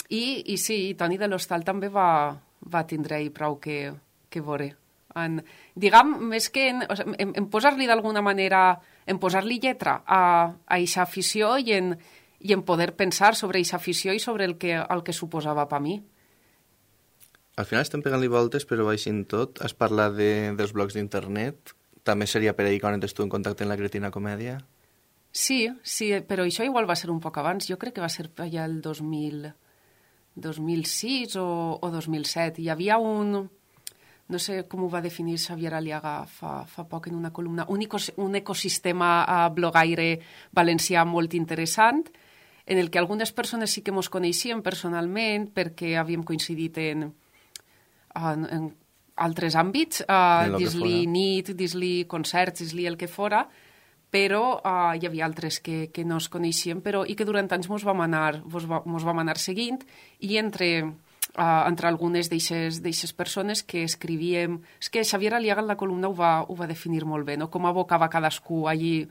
I, i sí, Toni de l'Hostal també va, va tindre-hi prou que, que veure. En, diguem, més que en, o sigui, en, en posar-li d'alguna manera, en posar-li lletra a aquesta afició i en, i en poder pensar sobre aquesta afició i sobre el que, el que suposava per mi. Al final estem pegant-li voltes, però baixint tot. Has parlat de, dels blogs d'internet. També seria per ahir quan entres tu en contacte amb la Cretina Comèdia? Sí, sí, però això igual va ser un poc abans. Jo crec que va ser allà el dos mil, dos mil sis o, o dos mil set. Hi havia un... No sé com ho va definir Xavier Aliaga fa, fa poc en una columna. Un, ecos, un ecosistema uh, blogaire valencià molt interessant, en el que algunes persones sí que mos coneixien personalment perquè havíem coincidit en... En, en altres àmbits, uh, dis-li nit, dis-li concerts, dis-li el que fora, però uh, hi havia altres que, que no es coneixien però, i que durant anys mos vam anar, mos va, mos vam anar seguint i entre, uh, entre algunes d'eixes persones que escrivíem... És que Xavier Aliaga en la columna ho va, ho va definir molt bé, no? Com abocava cadascú allí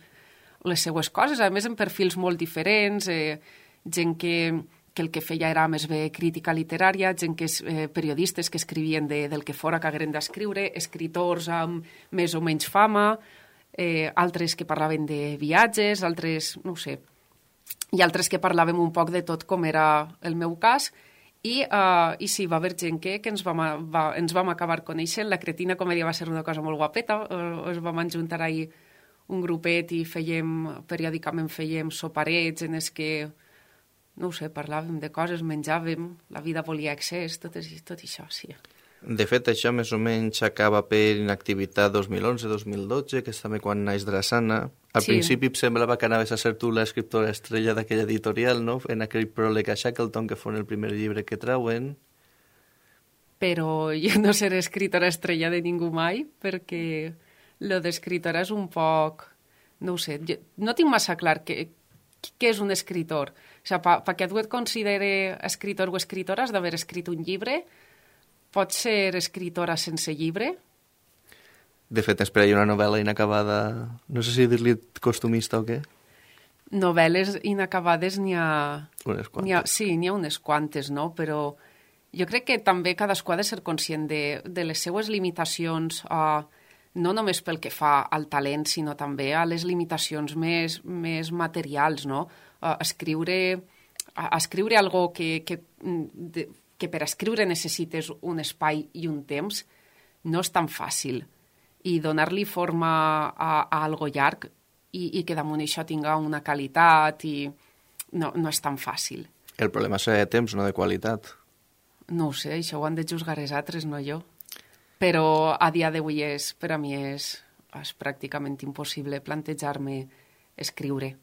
les seues coses, a més en perfils molt diferents, eh, gent que... que el que feia era més bé crítica literària, gent que és eh, periodistes que escrivien de, del que fora que hagueren d'escriure, escriptors amb més o menys fama, eh, altres que parlaven de viatges, altres, no ho sé, i altres que parlàvem un poc de tot com era el meu cas, i, uh, i sí, va haver gent que, que ens, vam, va, ens vam acabar coneixent. La Cretina Comèdia va ser una cosa molt guapeta, uh, ens vam ajuntar ahir un grupet i fèiem, periòdicament fèiem soparets en els que no ho sé, parlàvem de coses, menjàvem, la vida volia excés, tot, tot això, sí. De fet, això més o menys acaba per inactivitat dos mil onze dos mil dotze, que és també quan naix Drassana. Al sí. principi em semblava que anaves a ser tu l'escriptora estrella d'aquella editorial, no? En aquell pròleg a Shackleton, que fos el primer llibre que trauen. Però jo no seré escriptora estrella de ningú mai, perquè lo d'escriptora és un poc... No ho sé, jo no tinc massa clar què, què és un escritor. O sigui, perquè tu et considere escritor o escritora has d'haver escrit un llibre. Pots ser escritora sense llibre? De fet, espera, hi ha una novel·la inacabada... No sé si dir-li costumista o què. Novel·les inacabades n'hi ha... Unes quantes. N'hi ha... Sí, n'hi ha unes quantes, no? Però jo crec que també cadascú ha de ser conscient de, de les seues limitacions, uh, no només pel que fa al talent, sinó també a les limitacions més, més materials, no? Uh, escriure, uh, escriure algo que, que, de, que per escriure necessites un espai i un temps no és tan fàcil. I donar-li forma a, a algo llarg i, i que damunt això tinga una qualitat i no, no és tan fàcil. El problema és de temps, no de qualitat. No ho sé, això ho han de juzgar els altres, no jo. Però a dia d'avui és, per a mi és, és pràcticament impossible plantejar-me escriure.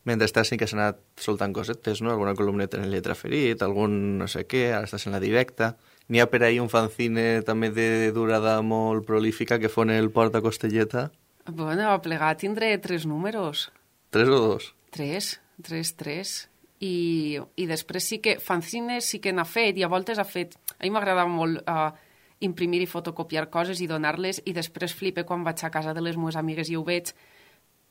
Mentrestant sí que s'ha anat soltant cosetes, no? Alguna columneta en el Lletra Ferit, algun no sé què, ara estàs en la directa. N'hi ha per ahí un fanzine també de durada molt prolífica que fon el Porta Costelleta. Bueno, a plegar tindré tres números. Tres o dos? Tres, tres, tres. I, i després sí que fanzines sí que n'ha fet i a voltes ha fet... A mi m'agrada molt uh, imprimir i fotocopiar coses i donar-les i després flipe quan vaig a casa de les meves amigues i ho veig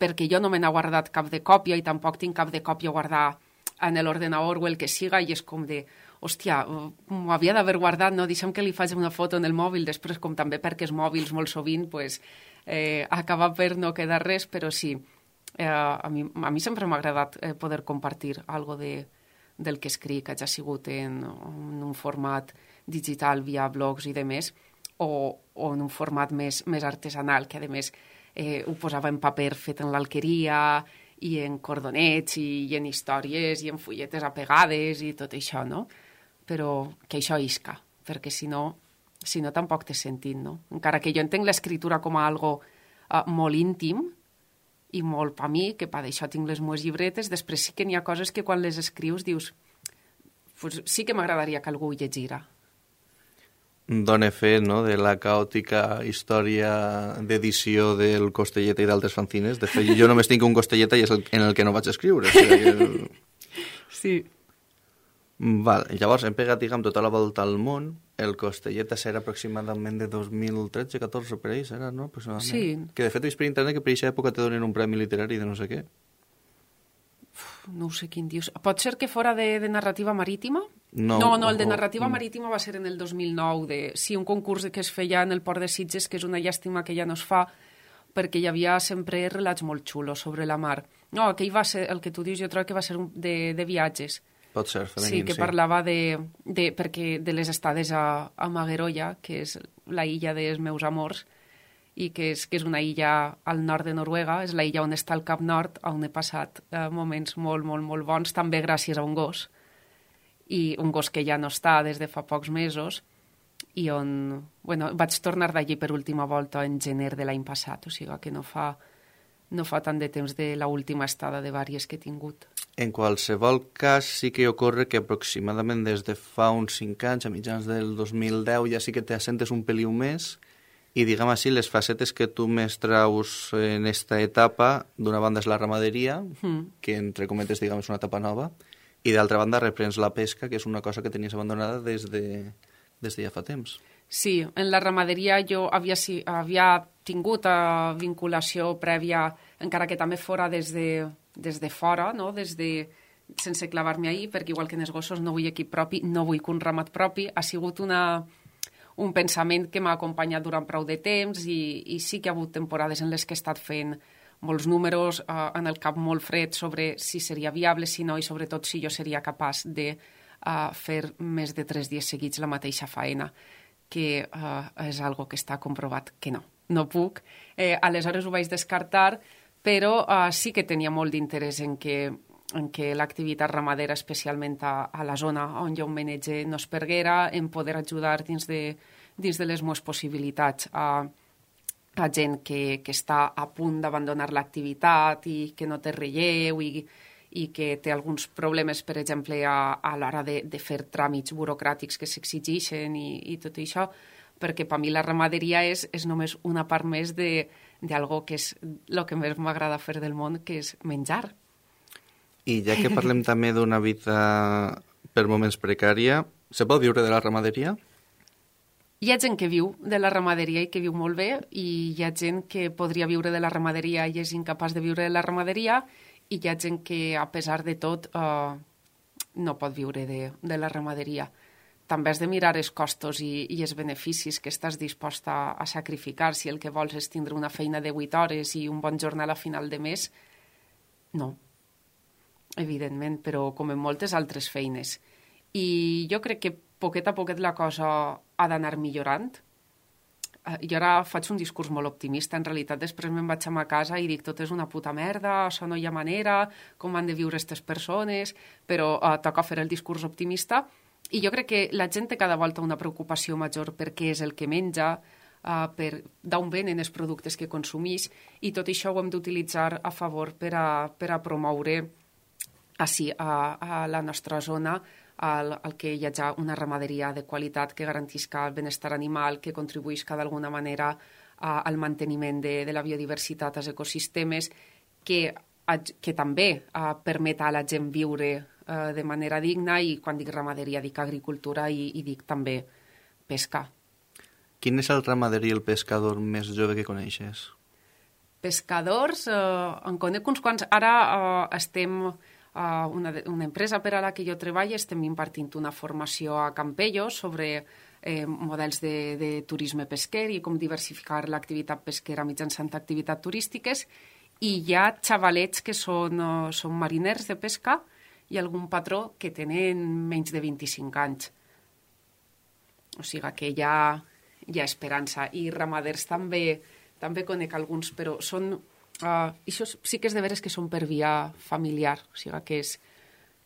perquè jo no me n'he guardat cap de còpia i tampoc tinc cap de còpia guardar en l'ordenador o el que siga i és com de, hòstia, m'ho havia d'haver guardat, no? Deixa'm que li faig una foto en el mòbil, després com també perquè els mòbils molt sovint pues, eh, acaba per no quedar res, però sí, eh, a, mi, a mi sempre m'ha agradat eh, poder compartir algo de, del que escric, que ja ha sigut en, en un format digital via blogs i demés, o, o en un format més, més artesanal, que a més eh, ho posava en paper fet en l'alqueria i en cordonets i, i en històries i en fulletes apegades i tot això, no? Però que això isca, perquè si no, si no tampoc té sentit, no? Encara que jo entenc l'escriptura com a algo uh, molt íntim i molt per mi, que per això tinc les meves llibretes, després sí que n'hi ha coses que quan les escrius dius pues, sí que m'agradaria que algú ho llegira. Dóna fe, no?, de la caòtica història d'edició del Costelleta i d'altres fanzines. De fet, jo només tinc un Costelleta i és el, en el que no vaig escriure. O sigui, Sí. Val, llavors hem pegat, diguem, tota la volta al món. El Costellet serà aproximadament de dos mil tretze catorze per ahí, serà, no? Sí. Que de fet he vist per internet que per aquesta època te donen un premi literari de no sé què. Uf, no sé quin dius. Pot ser que fora de, de narrativa marítima? No, no, no, el de o- narrativa mm. marítima va ser en el dos mil nou. De, sí, un concurs que es feia en el Port de Sitges, que és una llàstima que ja no es fa, perquè hi havia sempre relats molt xulos sobre la mar. No, aquell va ser, el que tu dius, jo trobo que va ser un, de, de viatges. Pot ser, femení, Sí, que sí. parlava de, de, perquè de les estades a, a Maguerolla, que és la illa dels meus amors, i que és, que és una illa al nord de Noruega, és la illa on està el Cap Nord, on he passat eh, moments molt, molt, molt bons, també gràcies a un gos, i un gos que ja no està des de fa pocs mesos, i on, bueno, vaig tornar d'allí per última volta en gener de l'any passat, o sigui que no fa, no fa tant de temps de l'última estada de vàries que he tingut. En qualsevol cas, sí que ocorre que aproximadament des de fa uns cinc anys, a mitjans del dos mil deu, ja sí que te assentes un peliu més i, diguem així, les facetes que tu més traus en esta etapa, d'una banda és la ramaderia, Mm. que entre cometes, diguem, és una etapa nova, i d'altra banda reprens la pesca, que és una cosa que tenies abandonada des de, des de ja fa temps. Sí, en la ramaderia jo havia, si, havia tingut uh, vinculació prèvia, encara que també fora des de, des de fora, no? Des de, sense clavar-me ahir, perquè igual que en els gossos no vull equip propi, no vull que un ramat propi. Ha sigut una, un pensament que m'ha acompanyat durant prou de temps i, i sí que ha hagut temporades en les que he estat fent molts números, uh, en el cap molt fred sobre si seria viable, si no, i sobretot si jo seria capaç de uh, fer més de tres dies seguits la mateixa faena, que uh, és algo que està comprovat que no, no puc. Eh, aleshores ho vaig descartar, però uh, sí que tenia molt d'interès en que, en que l'activitat ramadera, especialment a, a la zona on jo em manege, no es perguera, en poder ajudar dins de, dins de les meves possibilitats a, a gent que, que està a punt d'abandonar l'activitat i que no té relleu i, i que té alguns problemes, per exemple, a, a l'hora de, de fer tràmits burocràtics que s'exigeixen i, i tot això, perquè per mi la ramaderia és, és només una part més d'algo que és el que més m'agrada fer del món, que és menjar. I ja que parlem també d'una vida per moments precària, se pot viure de la ramaderia? Hi ha gent que viu de la ramaderia i que viu molt bé, i hi ha gent que podria viure de la ramaderia i és incapaç de viure de la ramaderia, i hi ha gent que, a pesar de tot, eh, no pot viure de, de la ramaderia. També has de mirar els costos i, i els beneficis que estàs disposta a sacrificar. Si el que vols és tindre una feina de vuit hores i un bon jornal a final de mes, no, evidentment, però com en moltes altres feines. I jo crec que poquet a poquet la cosa ha d'anar millorant. Jo ara faig un discurs molt optimista, en realitat després me'n vaig a ma casa i dic tot és una puta merda, això no hi ha manera, com han de viure aquestes persones, però uh, toca fer el discurs optimista. I jo crec que la gent té cada volta una preocupació major per què és el que menja, uh, per d'on venen els productes que consumís, i tot això ho hem d'utilitzar a favor per a, per a promoure així a, a la nostra zona el, el que hi hagi una ramaderia de qualitat que garantisca el benestar animal, que contribuïsca d'alguna manera a, al manteniment de, de la biodiversitat als ecosistemes, que, a, que també a, permet a la gent viure a, de manera digna, i quan dic ramaderia dic agricultura i, i dic també pesca. Quin és el ramader i el pescador més jove que coneixes? Pescadors, eh, en conec uns quants. Ara eh, estem... Uh, una, una empresa per a la que jo treballo, estem impartint una formació a Campellos sobre eh, models de, de turisme pesquer i com diversificar l'activitat pesquera mitjançant activitats turístiques, i hi ha xavalets que són, uh, són mariners de pesca i algun patró que tenen menys de vint-i-cinc anys. O sigui que hi ha, hi ha esperança. I ramaders també, també conec alguns, però són... Uh, això sí que és de veres que són per via familiar, o sigui que és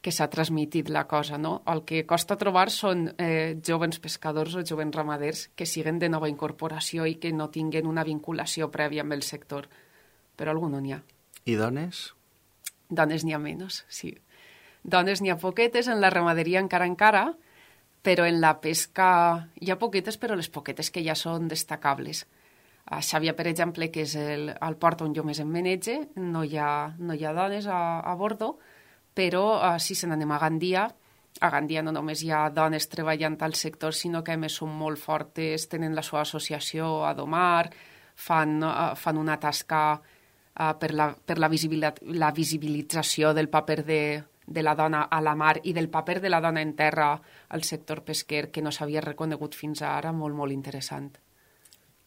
que s'ha transmitit la cosa, no? El que costa trobar són eh, jovens pescadors o jovens ramaders que siguen de nova incorporació i que no tinguen una vinculació prèvia amb el sector, però algú no n'hi ha. I dones? Dones n'hi ha menys, sí. Dones n'hi ha poquetes, en la ramaderia encara encara, però en la pesca hi ha poquetes, però les poquetes que ja són destacables. A Xàbia, per exemple, que és el, el port on jo més em manege, no hi ha, no hi ha dones a, a bordo, però uh, si se n'anem a Gandia, a Gandia no només hi ha dones treballant al sector, sinó que a més són molt fortes, tenen la seva associació a Domar, fan, uh, fan una tasca uh, per, la, per la, la visibilització del paper de, de la dona a la mar i del paper de la dona en terra al sector pesquer que no s'havia reconegut fins ara, molt, molt interessant.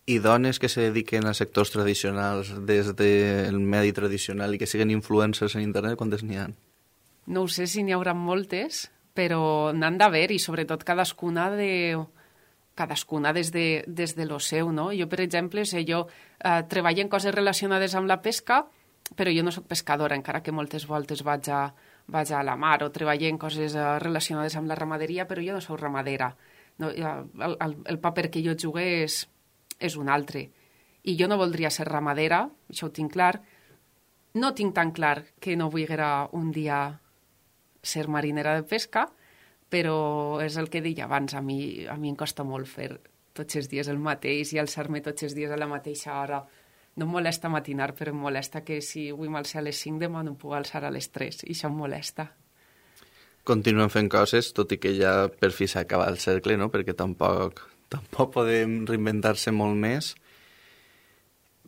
I dones que se dediquen a sectors tradicionals des del medi tradicional i que siguen influencers en internet, quantes n'hi ha? No ho sé si n'hi haurà moltes, però n'han d'haver i sobretot cadascuna de... cadascuna des de, des de lo seu, no? Jo, per exemple, sé, jo eh, treballo en coses relacionades amb la pesca, però jo no sóc pescadora, encara que moltes voltes vaig a, vaig a la mar, o treballo en coses eh, relacionades amb la ramaderia, però jo no sóc ramadera. No, el, el, el paper que jo jugué és, és un altre. I jo no voldria ser ramadera, això ho tinc clar. No tinc tan clar que no vulguera un dia ser marinera de pesca, però és el que deia abans, a mi, a mi em costa molt fer tots els dies el mateix i alçar-me tots els dies a la mateixa hora. No em molesta matinar, però em molesta que si vull m'alçar a les cinc demà no em puc alçar a les tres, i això em molesta. Continuen fent coses, tot i que ja per fi s'acaba el cercle, no? Perquè tampoc, tampoc podem reinventar-se molt més.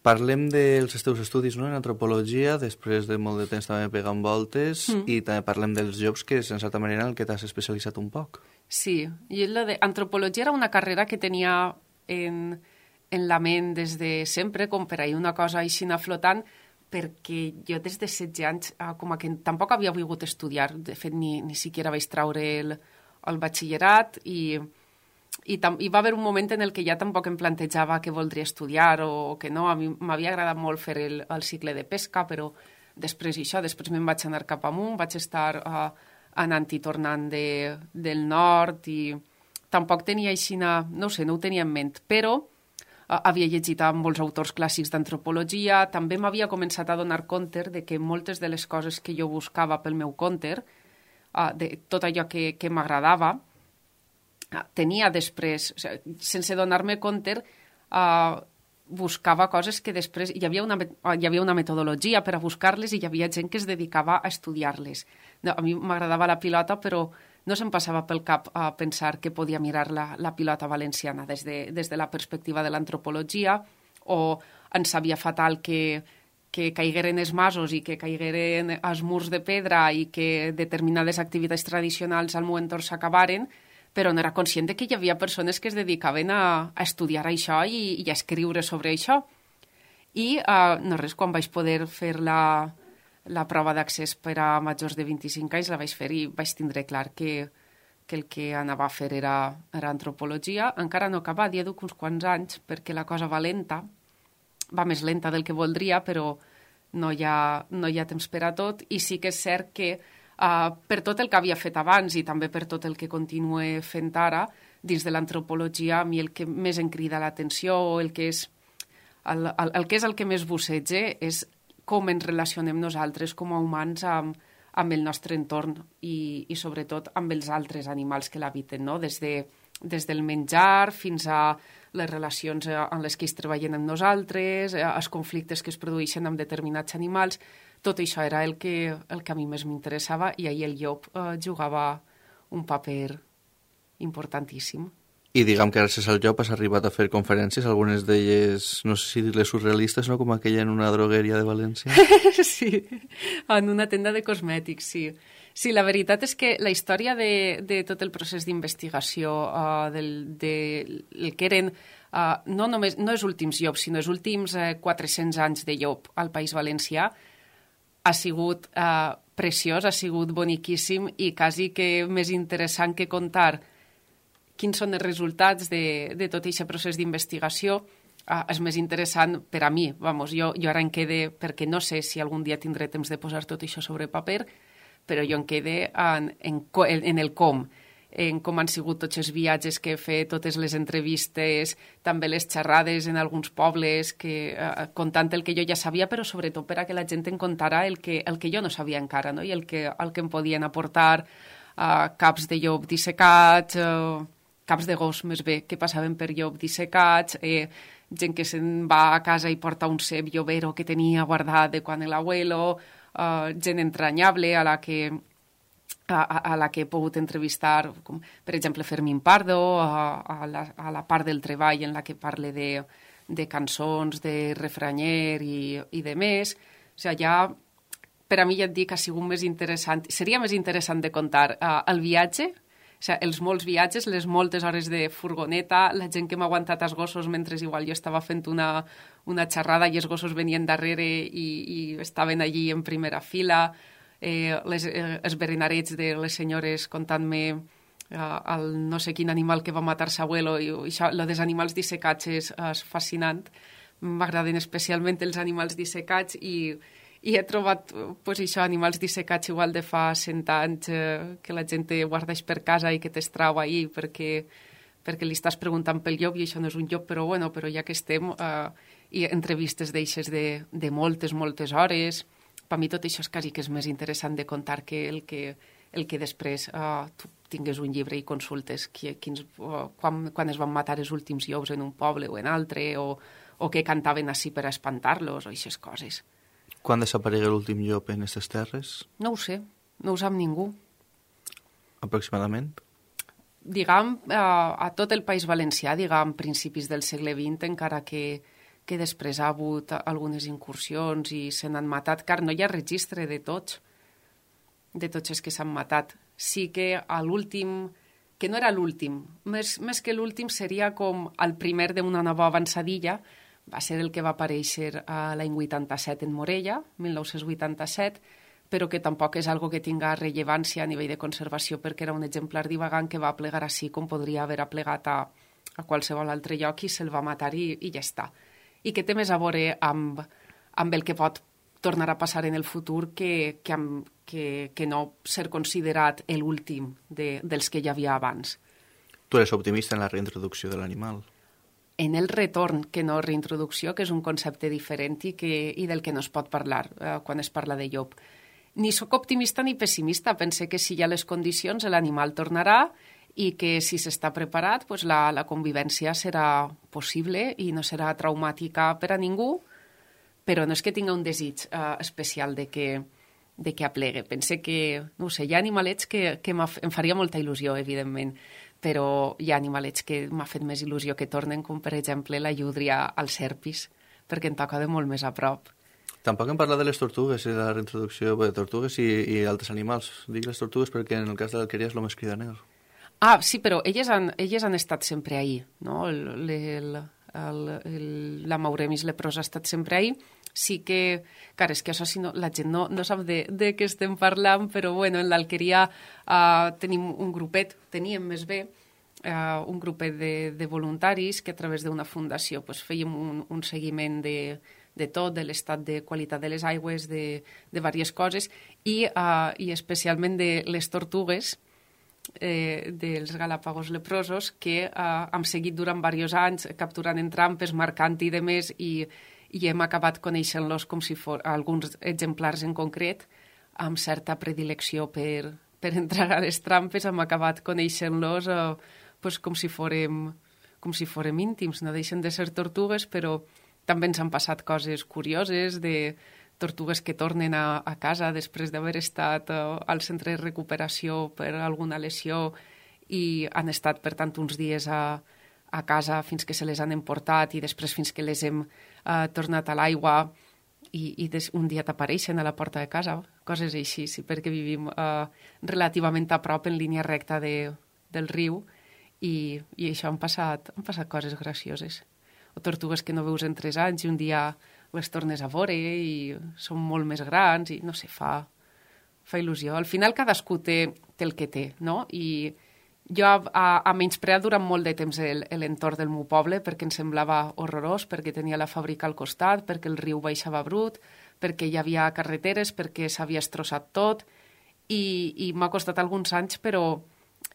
Parlem dels teus estudis, no?, en antropologia, després de molt de temps també pegant voltes, mm. i també parlem dels jobs, que és en certa manera en el que t'has especialitzat un poc. Sí, i la de antropologia era una carrera que tenia en, en la ment des de sempre, com per ahir una cosa així flotant, perquè jo des de setze anys, com a que tampoc havia volgut estudiar, de fet ni, ni siquiera vaig traure el, el batxillerat, i... I, tam i va haver un moment en el que ja tampoc em plantejava que voldria estudiar o que no. A mi m'havia agradat molt fer el, el cicle de pesca, però després això, després me'n vaig anar cap amunt, vaig estar uh, anant i tornant de, del nord i tampoc tenia així, no ho sé, no ho tenia en ment, però uh, havia llegit amb molts autors clàssics d'antropologia, també m'havia començat a donar compte de que moltes de les coses que jo buscava pel meu compte, uh, de tot allò que, que m'agradava, tenia després, o sigui, sense donar-me compte, uh, buscava coses que després... Hi havia, una, hi havia una metodologia per a buscar-les i hi havia gent que es dedicava a estudiar-les. No, a mi m'agradava la pilota, però no se'm passava pel cap a pensar que podia mirar la, la pilota valenciana des de, des de la perspectiva de l'antropologia, o em sabia fatal que, que caigueren els masos i que caigueren els murs de pedra i que determinades activitats tradicionals al meu entorn s'acabaren, però no era conscient que hi havia persones que es dedicaven a, a estudiar això i, i a escriure sobre això. I uh, no res, quan vaig poder fer la, la prova d'accés per a majors de vint-i-cinc anys, la vaig fer i vaig tindre clar que, que el que anava a fer era, era antropologia. Encara no acaba, ja duc uns quants anys, perquè la cosa va lenta, va més lenta del que voldria, però no hi ha, no hi ha temps per a tot, i sí que és cert que Uh, per tot el que havia fet abans i també per tot el que continue fent ara, dins de l'antropologia, a mi el que més em crida l'atenció o el que és el, el, el que és el que més busseja és com ens relacionem nosaltres com a humans amb, amb el nostre entorn i, i sobretot amb els altres animals que l'habiten, no? Des, de, des del menjar fins a les relacions en les que es treballen amb nosaltres, els conflictes que es produeixen amb determinats animals. Tot això era el que, el que a mi més m'interessava i ahir el llop eh, jugava un paper importantíssim. I diguem que gràcies al llop has arribat a fer conferències, algunes d'elles, no sé si dir-les surrealistes, no? Com aquella en una drogueria de València. Sí, en una tenda de cosmètics, sí. Sí, la veritat és que la història de, de tot el procés d'investigació, uh, del, de, el que eren, uh, no només, no els últims llops, sinó els últims uh, quatre-cents anys de llop al País Valencià, ha sigut eh, preciós, ha sigut boniquíssim i quasi que més interessant que contar quins són els resultats de, de tot aquest procés d'investigació. Eh, és més interessant per a mi. Vamos, jo, jo ara em quede, perquè no sé si algun dia tindré temps de posar tot això sobre paper, però jo em quede en, en, en el com, en com han sigut tots els viatges que he fet, totes les entrevistes, també les xerrades en alguns pobles, que, eh, contant el que jo ja sabia, però sobretot per a que la gent em contara el que, el que jo no sabia encara, no? I el que, el que em podien aportar eh, caps de llop dissecats, eh, caps de gos més bé, que passaven per llop dissecats, eh, gent que se'n va a casa i porta un cep llovero que tenia guardat de quan l'abuelo, uh, gent entranyable a la que a, a la que he pogut entrevistar, com, per exemple, Fermín Pardo, a, a, la, a la part del treball en la que parle de, de cançons, de refranyer i, i de més. O sigui, ja, per a mi ja et dic, ha sigut més interessant, seria més interessant de contar uh, el viatge, o sigui, els molts viatges, les moltes hores de furgoneta, la gent que m'ha aguantat els gossos mentre igual jo estava fent una, una xerrada i els gossos venien darrere i, i estaven allí en primera fila, eh, les, eh, els berenarets de les senyores contant-me eh, el no sé quin animal que va matar s'abuelo, i, i això, lo dels animals dissecats és, és fascinant. M'agraden especialment els animals dissecats i I he trobat, pues, això, animals dissecats igual de fa cent anys eh, que la gent te guardeix per casa i que t'estrau ahí perquè, perquè li estàs preguntant pel llop i això no és un llop, però bueno, però ja que estem, eh, i entrevistes d'eixes de, de moltes, moltes hores. Per mi tot això és quasi que és més interessant de contar que el que, el que després eh, tu tingues un llibre i consultes qui, quins, uh, quan, quan es van matar els últims llops en un poble o en altre, o, o que cantaven així per espantar-los, o aquestes coses. Quan desaparegué l'últim llop en aquestes terres? No ho sé, no ho sap ningú. Aproximadament? Diguem, a, a tot el País Valencià, diguem, principis del segle vint, encara que, que després ha hagut algunes incursions i se n'han matat, car no hi ha registre de tots, de tots els que s'han matat. Sí que a l'últim, que no era l'últim, més, més que l'últim seria com el primer d'una nova avançadilla, va ser el que va aparèixer a l'any vuitanta-set en Morella, mil nou-cents vuitanta-set, però que tampoc és algo que tinga rellevància a nivell de conservació, perquè era un exemplar divagant que va plegar així com podria haver aplegat a, a qualsevol altre lloc i se'l va matar i, i ja està. I que té més a veure amb, amb el que pot tornar a passar en el futur que, que, amb, que, que no ser considerat l'últim de, dels que hi havia abans. Tu eres optimista en la reintroducció de l'animal? En el retorn, que no reintroducció, que és un concepte diferent i, que, i del que no es pot parlar eh, quan es parla de llop. Ni sóc optimista ni pessimista. Pense que si hi ha les condicions l'animal tornarà i que si s'està preparat pues la, la convivència serà possible i no serà traumàtica per a ningú, però no és que tinga un desig eh, especial de que, de que aplegue. Pense que, no ho sé, hi ha animalets que, que em faria molta il·lusió, evidentment, però hi ha animalets que m'ha fet més il·lusió que tornen, com per exemple la llúdria als serpis, perquè em toca de molt més a prop. Tampoc hem parlat de les tortugues i de la reintroducció de tortugues i, i altres animals. Dic les tortugues perquè en el cas de l'alqueria és el més cridaner. Ah, sí, però elles han, elles han estat sempre ahí, no? El, el, el, el, la Mauremis leprosa ha estat sempre ahí. Sí que, clar, és que això si no, la gent no, no sap de, de què estem parlant, però bueno, en l'alqueria uh, tenim un grupet, teníem més bé, uh, un grupet de, de voluntaris que a través d'una fundació pues, fèiem un, un seguiment de, de tot, de l'estat de qualitat de les aigües, de, de diverses coses, i, uh, i especialment de les tortugues, eh, dels galàpagos leprosos, que uh, hem seguit durant diversos anys capturant en trampes, marcant i demés, i i hem acabat coneixent-los com si fos alguns exemplars en concret, amb certa predilecció per, per entrar a les trampes, hem acabat coneixent-los eh, pues, com, si fórem, com si fórem íntims. No deixen de ser tortugues, però també ens han passat coses curioses de tortugues que tornen a, a casa després d'haver estat eh, al centre de recuperació per alguna lesió i han estat, per tant, uns dies a, a casa fins que se les han emportat i després fins que les hem uh, tornat a l'aigua i, i des, un dia t'apareixen a la porta de casa, coses així, sí, perquè vivim uh, relativament a prop en línia recta de, del riu i, i això han passat, han passat coses gracioses. O tortugues que no veus en tres anys i un dia les tornes a veure i són molt més grans i no sé, fa, fa il·lusió. Al final cadascú té, té el que té, no? I jo a, a menyspreat durant molt de temps l'entorn del meu poble perquè em semblava horrorós, perquè tenia la fàbrica al costat, perquè el riu baixava brut, perquè hi havia carreteres, perquè s'havia estrossat tot i, i m'ha costat alguns anys, però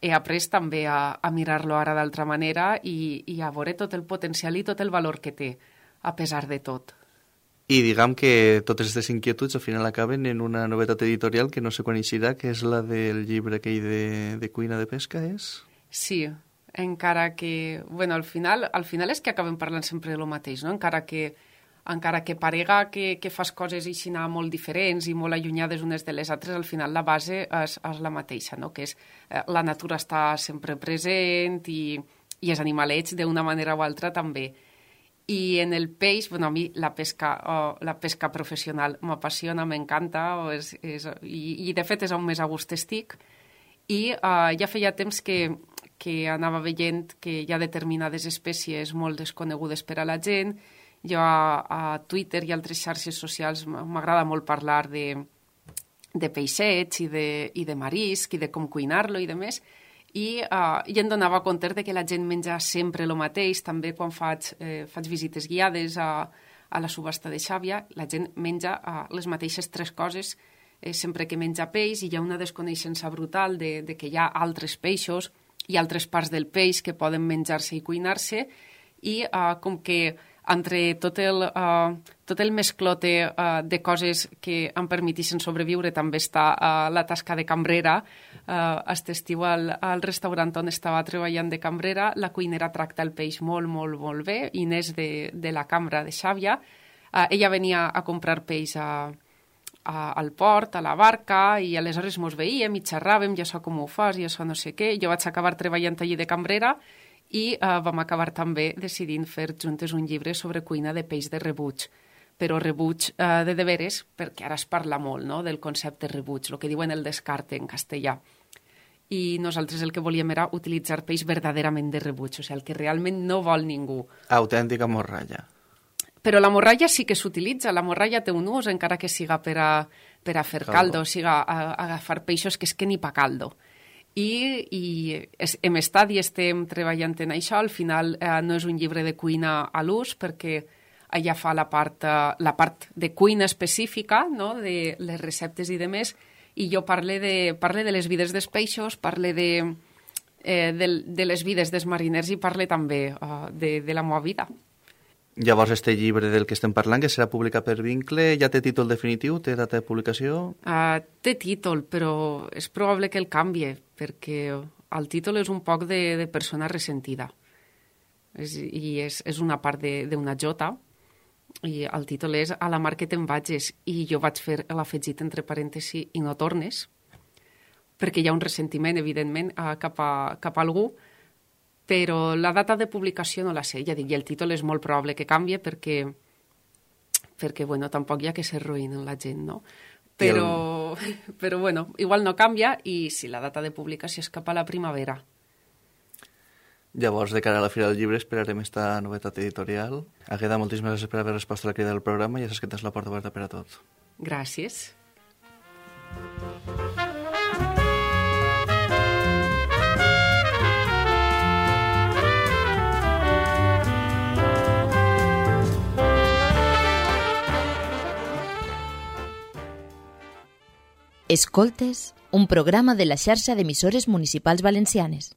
he après també a, a mirar-lo ara d'altra manera i, i a veure tot el potencial i tot el valor que té, a pesar de tot. I diguem que totes aquestes inquietuds al final acaben en una novetat editorial que no sé quan eixirà, que és la del llibre aquell de, de cuina de pesca, és? Sí, encara que... Bueno, al final, al final és que acabem parlant sempre del mateix, no? Encara que, encara que parega que, que fas coses així molt diferents i molt allunyades unes de les altres, al final la base és, és la mateixa, no? Que és eh, la natura està sempre present i, i els animalets d'una manera o altra també. I en el peix, bueno, a mi la pesca, oh, la pesca professional m'apassiona, m'encanta, és, és, i, i de fet és on més a gust estic. I uh, ja feia temps que, que anava veient que hi ha determinades espècies molt desconegudes per a la gent. Jo a, a Twitter i altres xarxes socials m'agrada molt parlar de, de peixets i de, i de marisc i de com cuinar-lo i de més. I, uh, i em donava compte de que la gent menja sempre el mateix. També quan faig, eh, faig visites guiades a, a la subhasta de Xàbia, la gent menja uh, les mateixes tres coses eh, sempre que menja peix, i hi ha una desconeixença brutal de, de que hi ha altres peixos i altres parts del peix que poden menjar-se i cuinar-se, i uh, com que entre tot el, uh, tot el mesclote uh, de coses que em permetixen sobreviure també està uh, la tasca de cambrera. Uh, aquest estiu al, al restaurant on estava treballant de cambrera, la cuinera tracta el peix molt, molt, molt bé. Inés de, de la cambra de Xàbia. Uh, ella venia a comprar peix a, a, al port, a la barca, i aleshores mos veíem i xerràvem, ja so com ho fas, ja so no sé què. Jo vaig acabar treballant allí de cambrera, i uh, vam acabar també decidint fer juntes un llibre sobre cuina de peix de rebuig, però rebuig uh, de deberes, perquè ara es parla molt, no?, del concepte rebuig, el que diuen el descarte en castellà. I nosaltres el que volíem era utilitzar peix verdaderament de rebuig, o sigui, el que realment no vol ningú. Autèntica morralla. Però la morralla sí que s'utilitza, la morralla té un ús, encara que siga per a, per a fer caldo, caldo siga a, a agafar peixos que és que ni pa caldo. I, i es, hem estat i estem treballant en això. Al final eh, no és un llibre de cuina a l'ús, perquè allà fa la part, eh, la part de cuina específica, no?, de les receptes i demés, i jo parle de, parle de les vides dels peixos, parle de, eh, de, de les vides dels mariners i parle també eh, de, de la meva vida. Llavors, este llibre del que estem parlant, que serà publicat per Vincle, ja té títol definitiu? Té data de publicació? Uh, té títol, però és probable que el canvie, perquè el títol és un poc de, de persona ressentida. És, I és, és una part d'una jota, i el títol és A la mar que te'n vages, i jo vaig fer l'afegit entre parèntesi i no tornes, perquè hi ha un ressentiment, evidentment, uh, cap, a, cap a algú, però la data de publicació no la sé, ja dic, i el títol és molt probable que canvie perquè, perquè bueno, tampoc hi ha que ser ruïn en la gent, no? Però, el... però bueno, igual no canvia, i si la data de publicació és cap a la primavera. Llavors, de cara a la Fira del Llibre, esperarem esta novetat editorial. Agueda, moltíssimes gràcies per haver respost a la crida del programa, i ja saps que tens la porta oberta per a tot. Gràcies. Escoltes, un programa de la xarxa d'emissores municipals valencianes.